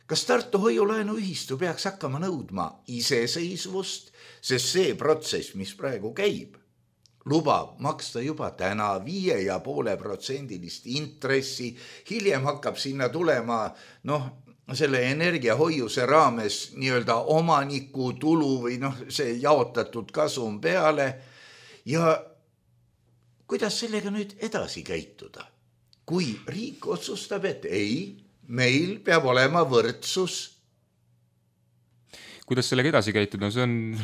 Kas Tartu hoiulaenuühistu peaks hakkama nõudma iseseisvust, sest see protsess, mis praegu käib, lubab maksta juba täna 5,5% intressi, hiljem hakkab sinna tulema selle energiahoiuse raames nii-öelda omaniku tulu või see jaotatud kasum peale ja kuidas sellega nüüd edasi käituda? Kui riik otsustab, et ei, meil peab olema võrdsus. Kuidas sellega edasi käituda? See on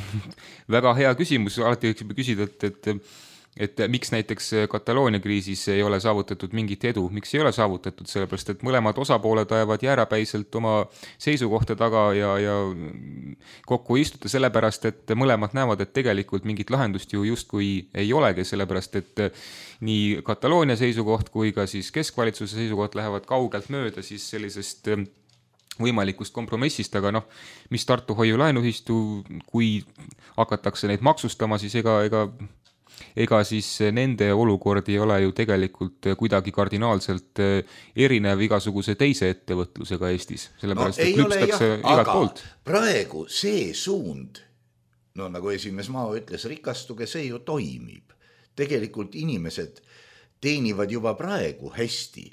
väga hea küsimus. Alati võiks küsida, et miks näiteks Kataloonia kriisis ei ole saavutatud mingit edu. Miks ei ole saavutatud? Sellepärast, et mõlemad osapooled ajavad jäärapäiselt oma seisukohta taga ja kokku istuta sellepärast, et mõlemad näevad, et tegelikult mingit lahendust ju justkui ei olegi, sellepärast, et nii Kataloonia seisukoht kui ka siis keskvalitsuse seisukoht lähevad kaugelt mööda siis sellisest võimalikust kompromissist, aga mis Tartu hoiulaenuühistu, kui hakatakse neid maksustama, siis ega siis nende olukord ei ole ju tegelikult kuidagi kardinaalselt erinev igasuguse teise ettevõtlusega Eestis, sellepärast, et lüpstakse igalt poolt. Praegu see suund, nagu esimees Mao ütles, rikastuge, see ju toimib. Tegelikult inimesed teenivad juba praegu hästi.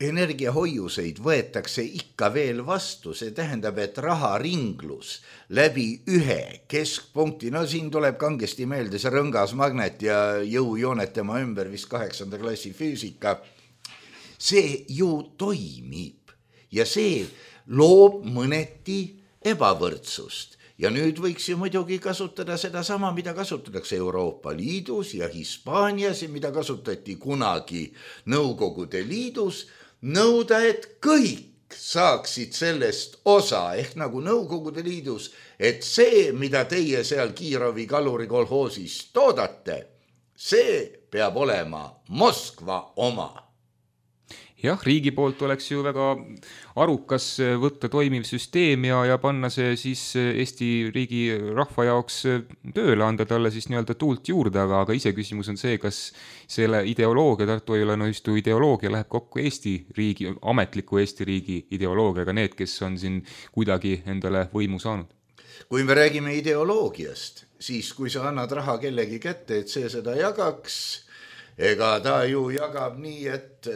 Energiahoiuseid võetakse ikka veel vastu, see tähendab, et raharinglus läbi ühe keskpunkti, siin tuleb kangesti meelde see rõngas magnet ja jõujoonet tema ümber, vist 8. klassi füüsika, see ju toimib ja see loob mõneti ebavõrdsust. Ja nüüd võiks ju muidugi kasutada seda sama, mida kasutatakse Euroopa Liidus ja Hispaanias ja mida kasutati kunagi Nõukogude Liidus, nõuda, et kõik saaksid sellest osa, ehk nagu Nõukogude Liidus, et see, mida teie seal Kiirovi kalurikolhoosis toodate, see peab olema Moskva oma. Jah, riigi poolt oleks ju väga arukas võtta toimiv süsteem ja panna see siis Eesti riigi rahva jaoks tööle, anda talle siis nii-öelda tuult juurde, aga ise küsimus on see, kas selle ideoloogia, Tartu hoiulaenuühistu ideoloogia läheb kokku Eesti riigi, ametliku Eesti riigi ideoloogiaga, need, kes on siin kuidagi endale võimu saanud. Kui me räägime ideoloogiast, siis kui sa annad raha kellegi kätte, et see seda jagaks, ega ta ju jagab nii, et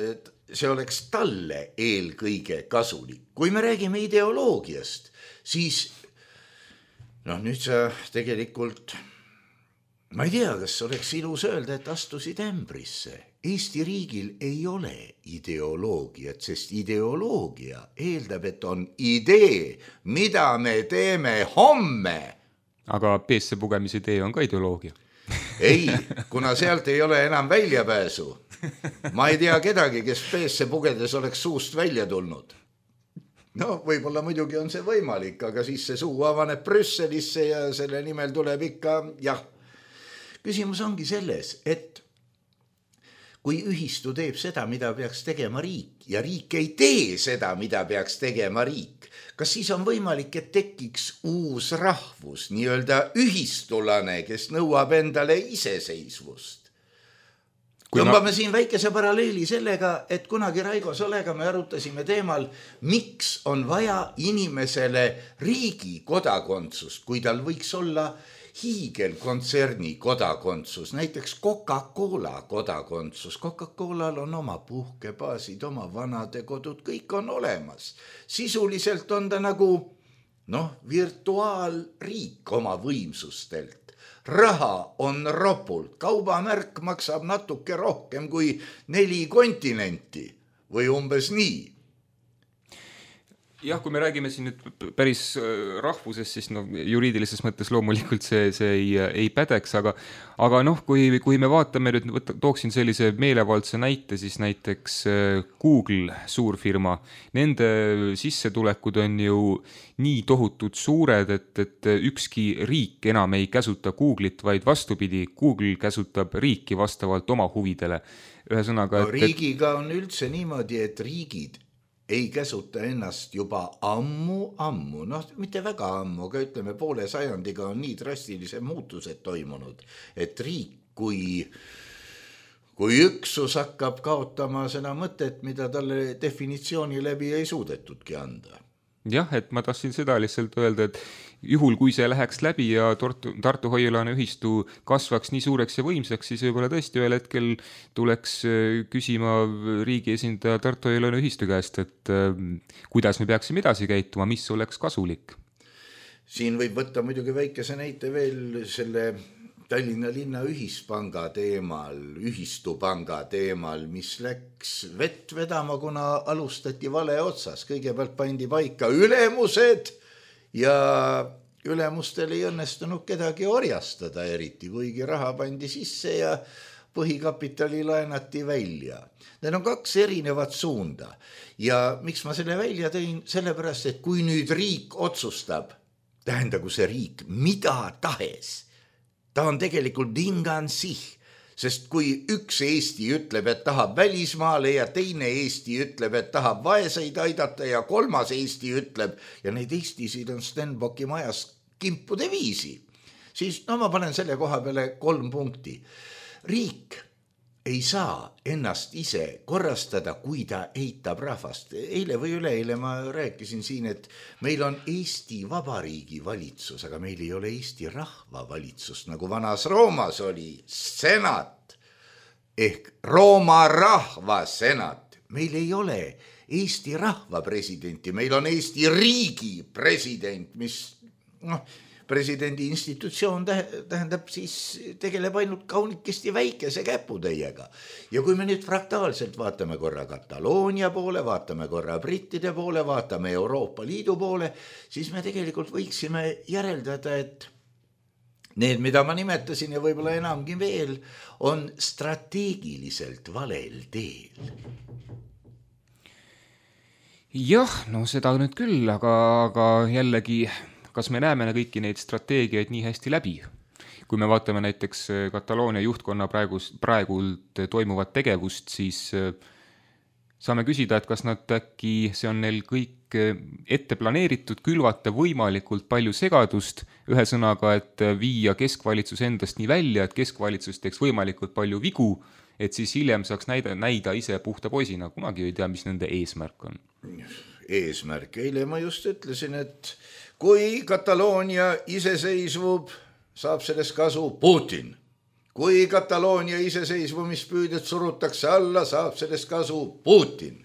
see oleks talle eelkõige kasulik. Kui me räägime ideoloogiast, siis nüüd sa tegelikult, ma ei tea, kas oleks ilus öelda, et astusid ämbrisse. Eesti riigil ei ole ideoloogiat, sest ideoloogia eeldab, et on idee, mida me teeme homme. Aga peesse pugemise idee on ka ideoloogia. Ei, kuna sealt ei ole enam väljapääsu. Ma ei tea kedagi, kes peesse pugedes oleks suust välja tulnud. Võib-olla muidugi on see võimalik, aga siis see suu avaneb Brüsselisse ja selle nimel tuleb ikka, jah. Küsimus ongi selles, et kui ühistu teeb seda, mida peaks tegema riik ja riik ei tee seda, mida peaks tegema riik, kas siis on võimalik, et tekiks uus rahvus, nii-öelda ühistulane, kes nõuab endale iseseisvust? Tõmbame siin väikese paralleeli sellega, et kunagi Raigo Solega me arutasime teemal, miks on vaja inimesele riigi kodakondsust, kui tal võiks olla hiigelkontserni kodakondsus, näiteks Coca-Cola kodakondsus. Coca-Colal on oma puhkebaasid, oma vanadekodud, kõik on olemas. Sisuliselt on ta nagu virtuaalriik oma võimsustelt. Raha on ropult, kaubamärk maksab natuke rohkem kui 4 kontinenti või umbes nii. Jah, kui me räägime siin nüüd päris rahvusest, siis juriidilises mõttes loomulikult see ei pädeks, aga kui me vaatame nüüd, tooksin sellise meelevaldse näite, siis näiteks Google suurfirma, nende sissetulekud on ju nii tohutud suured, et ükski riik enam ei käsuta Google'it, vaid vastupidi, Google käsutab riiki vastavalt oma huvidele. Ühesõnaga, riigiga on üldse niimoodi, et riigid ei käsuta ennast juba ammu, mitte väga ammu, aga ütleme poole sajandiga on nii drastilise muutused toimunud, et riik kui üksus hakkab kaotama seda mõtet, mida talle definitsiooni läbi ei suudetudki anda. Jah, et ma tahtsin seda lihtsalt öelda, et juhul kui see läheks läbi ja Tartu Hoiulaane ühistu kasvaks nii suureks ja võimsaks, siis võib-olla tõesti ühel hetkel tuleks küsima riigi esindaja Tartu Hoiulaane ühistu käest, et kuidas me peaksime edasi käituma, mis oleks kasulik. Siin võib võtta muidugi väikese näite veel selle Tallinna linna ühispanga teemal, ühistupanga teemal, mis läks vett vedama, kuna alustati vale otsas. Kõigepealt pandi paika ülemused ja ülemustel ei õnnestunud kedagi orjastada eriti, kuigi raha pandi sisse ja põhikapitali laenati välja. Need on 2 erinevat suunda ja miks ma selle välja tõin, sellepärast, et kui nüüd riik otsustab, tähendagu see riik mida tahes, ta on tegelikult dingansih, sest kui üks Eesti ütleb, et tahab välismaale ja teine Eesti ütleb, et tahab vaeseid aidata ja 3. Eesti ütleb, ja neid Eestisid on Stenbocki majas kimpude viisi, siis ma panen selle koha peale 3 punkti. Riik ei saa ennast ise korrastada, kui ta eitab rahvast. Eile või üleeile ma rääkisin siin, et meil on Eesti Vabariigi valitsus, aga meil ei ole Eesti rahva valitsust, nagu vanas Roomas oli senat ehk Rooma rahva senat. Meil ei ole Eesti rahva presidenti, meil on Eesti riigi president, mis presidendi institutsioon tähendab siis tegeleb ainult kaunikesti väikese käputäiega. Ja kui me nüüd fraktaalselt vaatame korra Kataloonia poole, vaatame korra brittide poole, vaatame Euroopa Liidu poole, siis me tegelikult võiksime järeldada, et need, mida ma nimetasin ja võib-olla enamgi veel, on strateegiliselt valel teel. Jah, seda nüüd küll, aga jällegi kas me näeme kõiki neid strateegiaid nii hästi läbi? Kui me vaatame näiteks Kataloonia juhtkonna praegult toimuvat tegevust, siis saame küsida, et kas nad äkki, see on neil kõik ette planeeritud, külvata võimalikult palju segadust, ühesõnaga, et viia keskvalitsus endast nii välja, et keskvalitsus teeks võimalikult palju vigu, et siis hiljem saaks näida ise puhta poisina, kunagi ei tea, mis nende eesmärk on. Eesmärk, eile ma just ütlesin, et kui Kataloonia iseseisvub, saab sellest kasu Putin. Kui Kataloonia iseseisvumispüüded surutakse alla, saab sellest kasu Putin.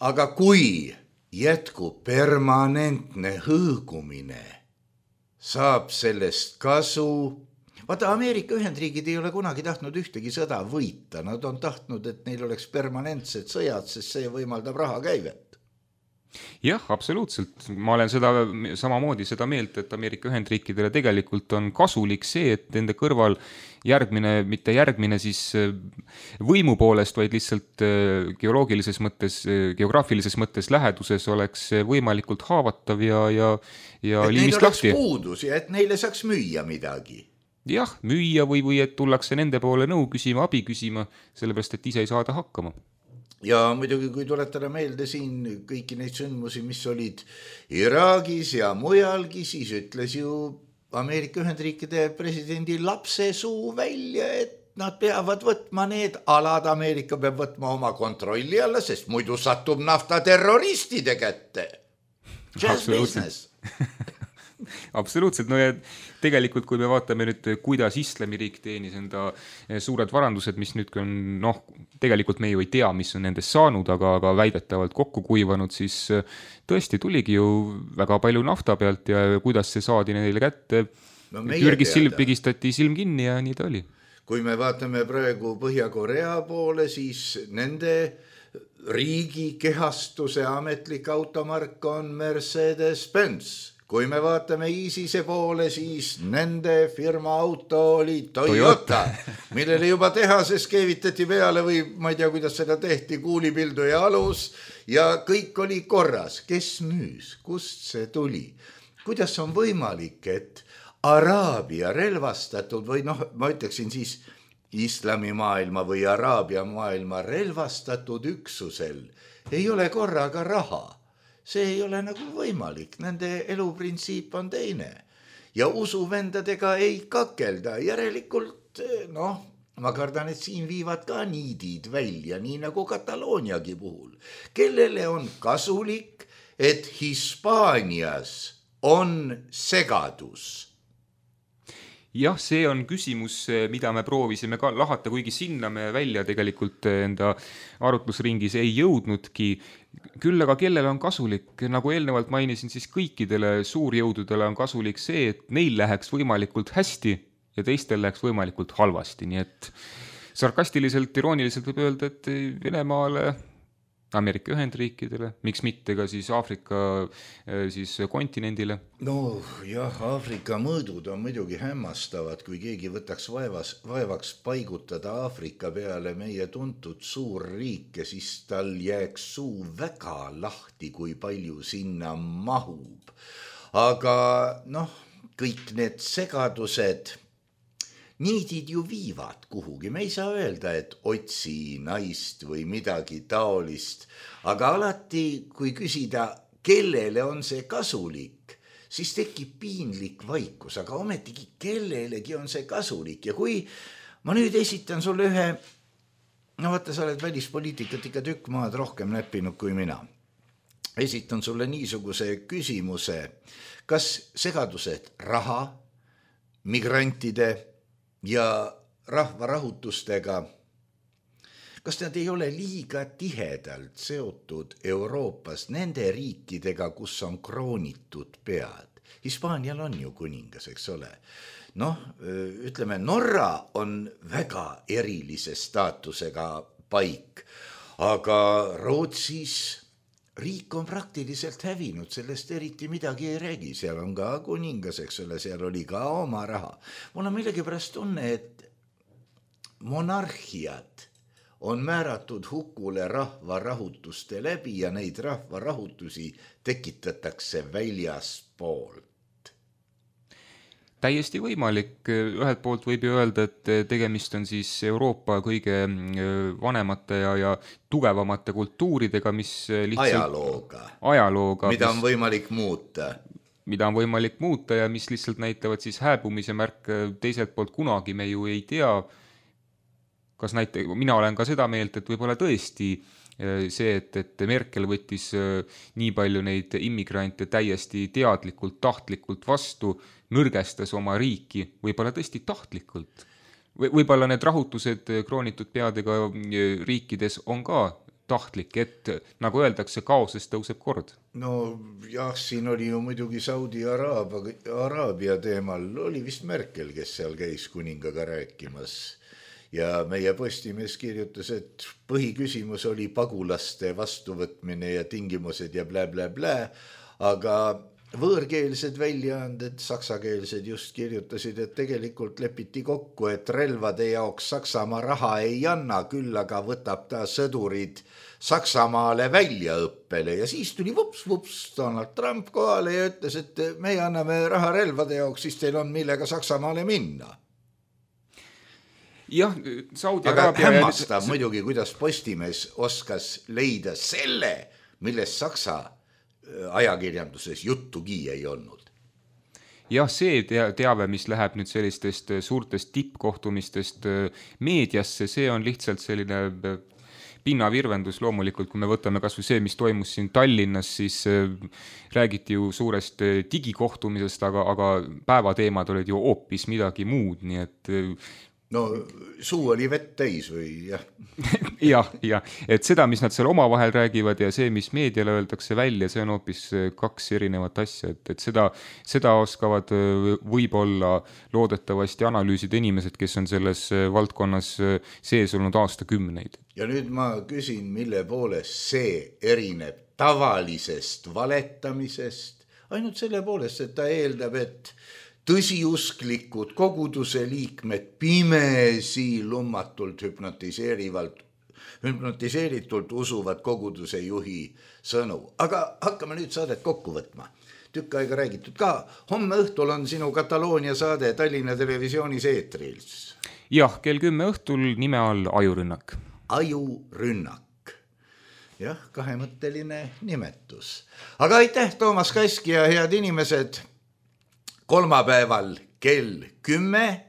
Aga kui jätkub permanentne hõõgumine, saab sellest kasu. Vaata, Ameerika Ühendriigid ei ole kunagi tahtnud ühtegi sõda võita. Nad on tahtnud, et neil oleks permanentsed sõjad, sest see võimaldab raha käivet. Jah, absoluutselt. Ma olen samamoodi seda meelt, et Ameerika Ühendriikidele tegelikult on kasulik see, et nende kõrval mitte järgmine siis võimu poolest, vaid lihtsalt geograafilises mõttes läheduses oleks võimalikult haavatav ja liimist lahti. Et neil oleks puudus ja et neile saaks müüa midagi. jah, müüa või et tullakse nende poole nõu küsima, abi küsima, sellepärast, et ise ei saada hakkama. Ja muidugi, kui tuletada meelde siin kõiki neid sündmusi, mis olid Iraagis ja mujalgi, siis ütles ju Ameerika Ühendriikide presidendi lapse suu välja, et nad peavad võtma need alad, Ameerika peab võtma oma kontrolli alla, sest muidu satub nafta terroristide kätte. Just business. Absoluutselt, no ja tegelikult kui me vaatame nüüd, kuidas Islamiriik teenis enda suured varandused, mis nüüd on, noh, tegelikult me ju ei tea, mis on nendest saanud, aga väidetavalt kokku kuivanud, siis tõesti tuligi ju väga palju nafta pealt ja kuidas see saadi neile kätte. Türgis pigistati silm kinni ja nii ta oli. Kui me vaatame praegu Põhja-Korea poole, siis nende riigi kehastuse ametlik automark on Mercedes-Benz. Kui me vaatame ISISe poole, siis nende firma auto oli Toyota, millele juba tehases keevitati peale või ma ei tea, kuidas seda tehti, kuulipildu ja alus ja kõik oli korras. Kes müüs? Kust see tuli? Kuidas on võimalik, et Araabia relvastatud või noh, ma ütleksin siis islamimaailma või Araabia maailma relvastatud üksusel ei ole korraga raha? See ei ole nagu võimalik, nende eluprintsiip on teine ja usuvendadega ei kakelda, järelikult noh, ma kardan, et siin viivad ka niidid välja, nii nagu Katalooniagi puhul, kellele on kasulik, et Hispaanias on segadus. Jah, see on küsimus, mida me proovisime ka lahata, kuigi sinna me välja tegelikult enda arutlusringis ei jõudnudki. Küll aga kellele on kasulik, nagu eelnevalt mainisin, siis kõikidele suurjõududele on kasulik see, et neil läheks võimalikult hästi ja teistel läheks võimalikult halvasti. Nii et sarkastiliselt, irooniliselt võib öelda, et Venemaale, Ameerika Ühendriikidele, miks mitte ka siis Aafrika siis kontinendile? No jah, Aafrika mõõdud on muidugi hämmastavad, kui keegi võtaks vaevaks paigutada Aafrika peale meie tuntud suurriike, siis tal jääks suu väga lahti, kui palju sinna mahub. Aga noh, kõik need segadused, niidid ju viivad kuhugi, me ei saa öelda, et otsi naist või midagi taolist, aga alati, kui küsida, kellele on see kasulik, siis tekib piinlik vaikus, aga ometigi kellelegi on see kasulik ja kui ma nüüd esitan sulle ühe, no vaata, sa oled välispoliitikat ikka tükk maad rohkem näppinud kui mina, esitan sulle niisuguse küsimuse, kas segadused raha, migrantide ja rahvarahutustega, kas nad ei ole liiga tihedalt seotud Euroopas nende riikidega, kus on kroonitud pead? Hispaanial on ju kuningas, eks ole. Noh, ütleme, Norra on väga erilise staatusega paik, aga Rootsis riik on praktiliselt hävinud, sellest eriti midagi ei räägi, seal on ka kuningas, eks ole, seal oli ka oma raha. Mul on millegipärast tunne, et monarhiad on määratud hukule rahvarahutuste läbi ja neid rahvarahutusi tekitatakse väljaspoolt. Täiesti võimalik, ühelt poolt võib ju öelda, et tegemist on siis Euroopa kõige vanemate ja tugevamate kultuuridega, mis lihtsalt ajalooga, mida on võimalik muuta ja mis lihtsalt näitavad siis hääbumise märk. Teiselt poolt kunagi me ju ei tea, kas mina olen ka seda meelt, et võib-olla tõesti see, et Merkel võttis nii palju neid immigrante täiesti teadlikult, tahtlikult vastu, nõrgestas oma riiki, võib-olla tõesti tahtlikult. Võib-olla need rahutused kroonitud peadega riikides on ka tahtlik, et nagu öeldakse, kaosest tõuseb kord. No jah, siin oli ju muidugi Saudi-Araabia teemal, oli vist Merkel, kes seal käis kuningaga rääkimas. Ja meie Postimees kirjutas, et põhiküsimus oli pagulaste vastuvõtmine ja tingimused ja blä, aga võõrkeelsed väljaanded, saksakeelsed just kirjutasid, et tegelikult lepiti kokku, et relvade jaoks Saksamaa raha ei anna, küll aga võtab ta sõdurid Saksamaale väljaõppele ja siis tuli vups Donald Trump kohale ja ütles, et meie anname raha relvade jaoks, siis teil on millega Saksamaale minna. jah, Saudi aga Araabia hämmastav muidugi, kuidas Postimees oskas leida selle, millest Saksa ajakirjanduses juttugi ei olnud. jah, see teave, mis läheb nüüd sellistest suurtest tippkohtumistest meediasse, see on lihtsalt selline pinnavirvendus loomulikult, kui me võtame kas või see, mis toimus siin Tallinnas, siis räägiti ju suurest digikohtumisest, aga päevateemad olid ju hoopis midagi muud, nii et no suu oli vett täis või jah? jah, et seda, mis nad seal omavahel räägivad ja see, mis meediale öeldakse välja, see on hoopis kaks erinevat asja, et seda oskavad võib-olla loodetavasti analüüsida inimesed, kes on selles valdkonnas sees olnud aastakümneid. Ja nüüd ma küsin, mille poolest see erineb tavalisest valetamisest, ainult selle poolest, et ta eeldab, et tõsiusklikud koguduse liikmed pimesi lummatult hüpnotiseeritult usuvad koguduse juhi sõnu. Aga hakkame nüüd saadet kokku võtma. Tükk aega räägitud ka. Homme õhtul on sinu Kataloonia saade Tallinna Televisioonis eetrils. Jah, kell 10 õhtul nime all Ajurünnak. Ajurünnak. Jah, kahemõtteline nimetus. Aga aitäh, Toomas Kask ja head inimesed. Kolmapäeval kell 10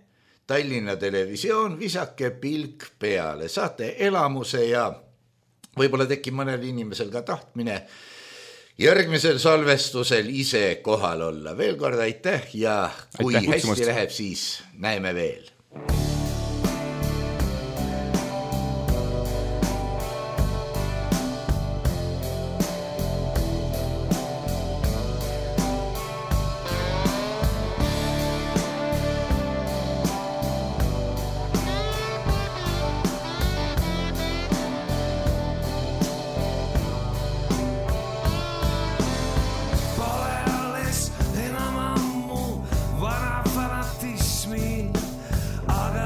Tallinna Televisioon, visake pilk peale. Saate elamuse ja võib-olla tekib mõnel inimesel ka tahtmine järgmisel salvestusel ise kohal olla. Veel kord aitäh ja kui hästi läheb, siis näeme veel. Aga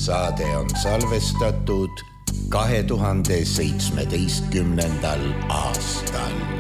Saade on salvestatud 2017. aastal.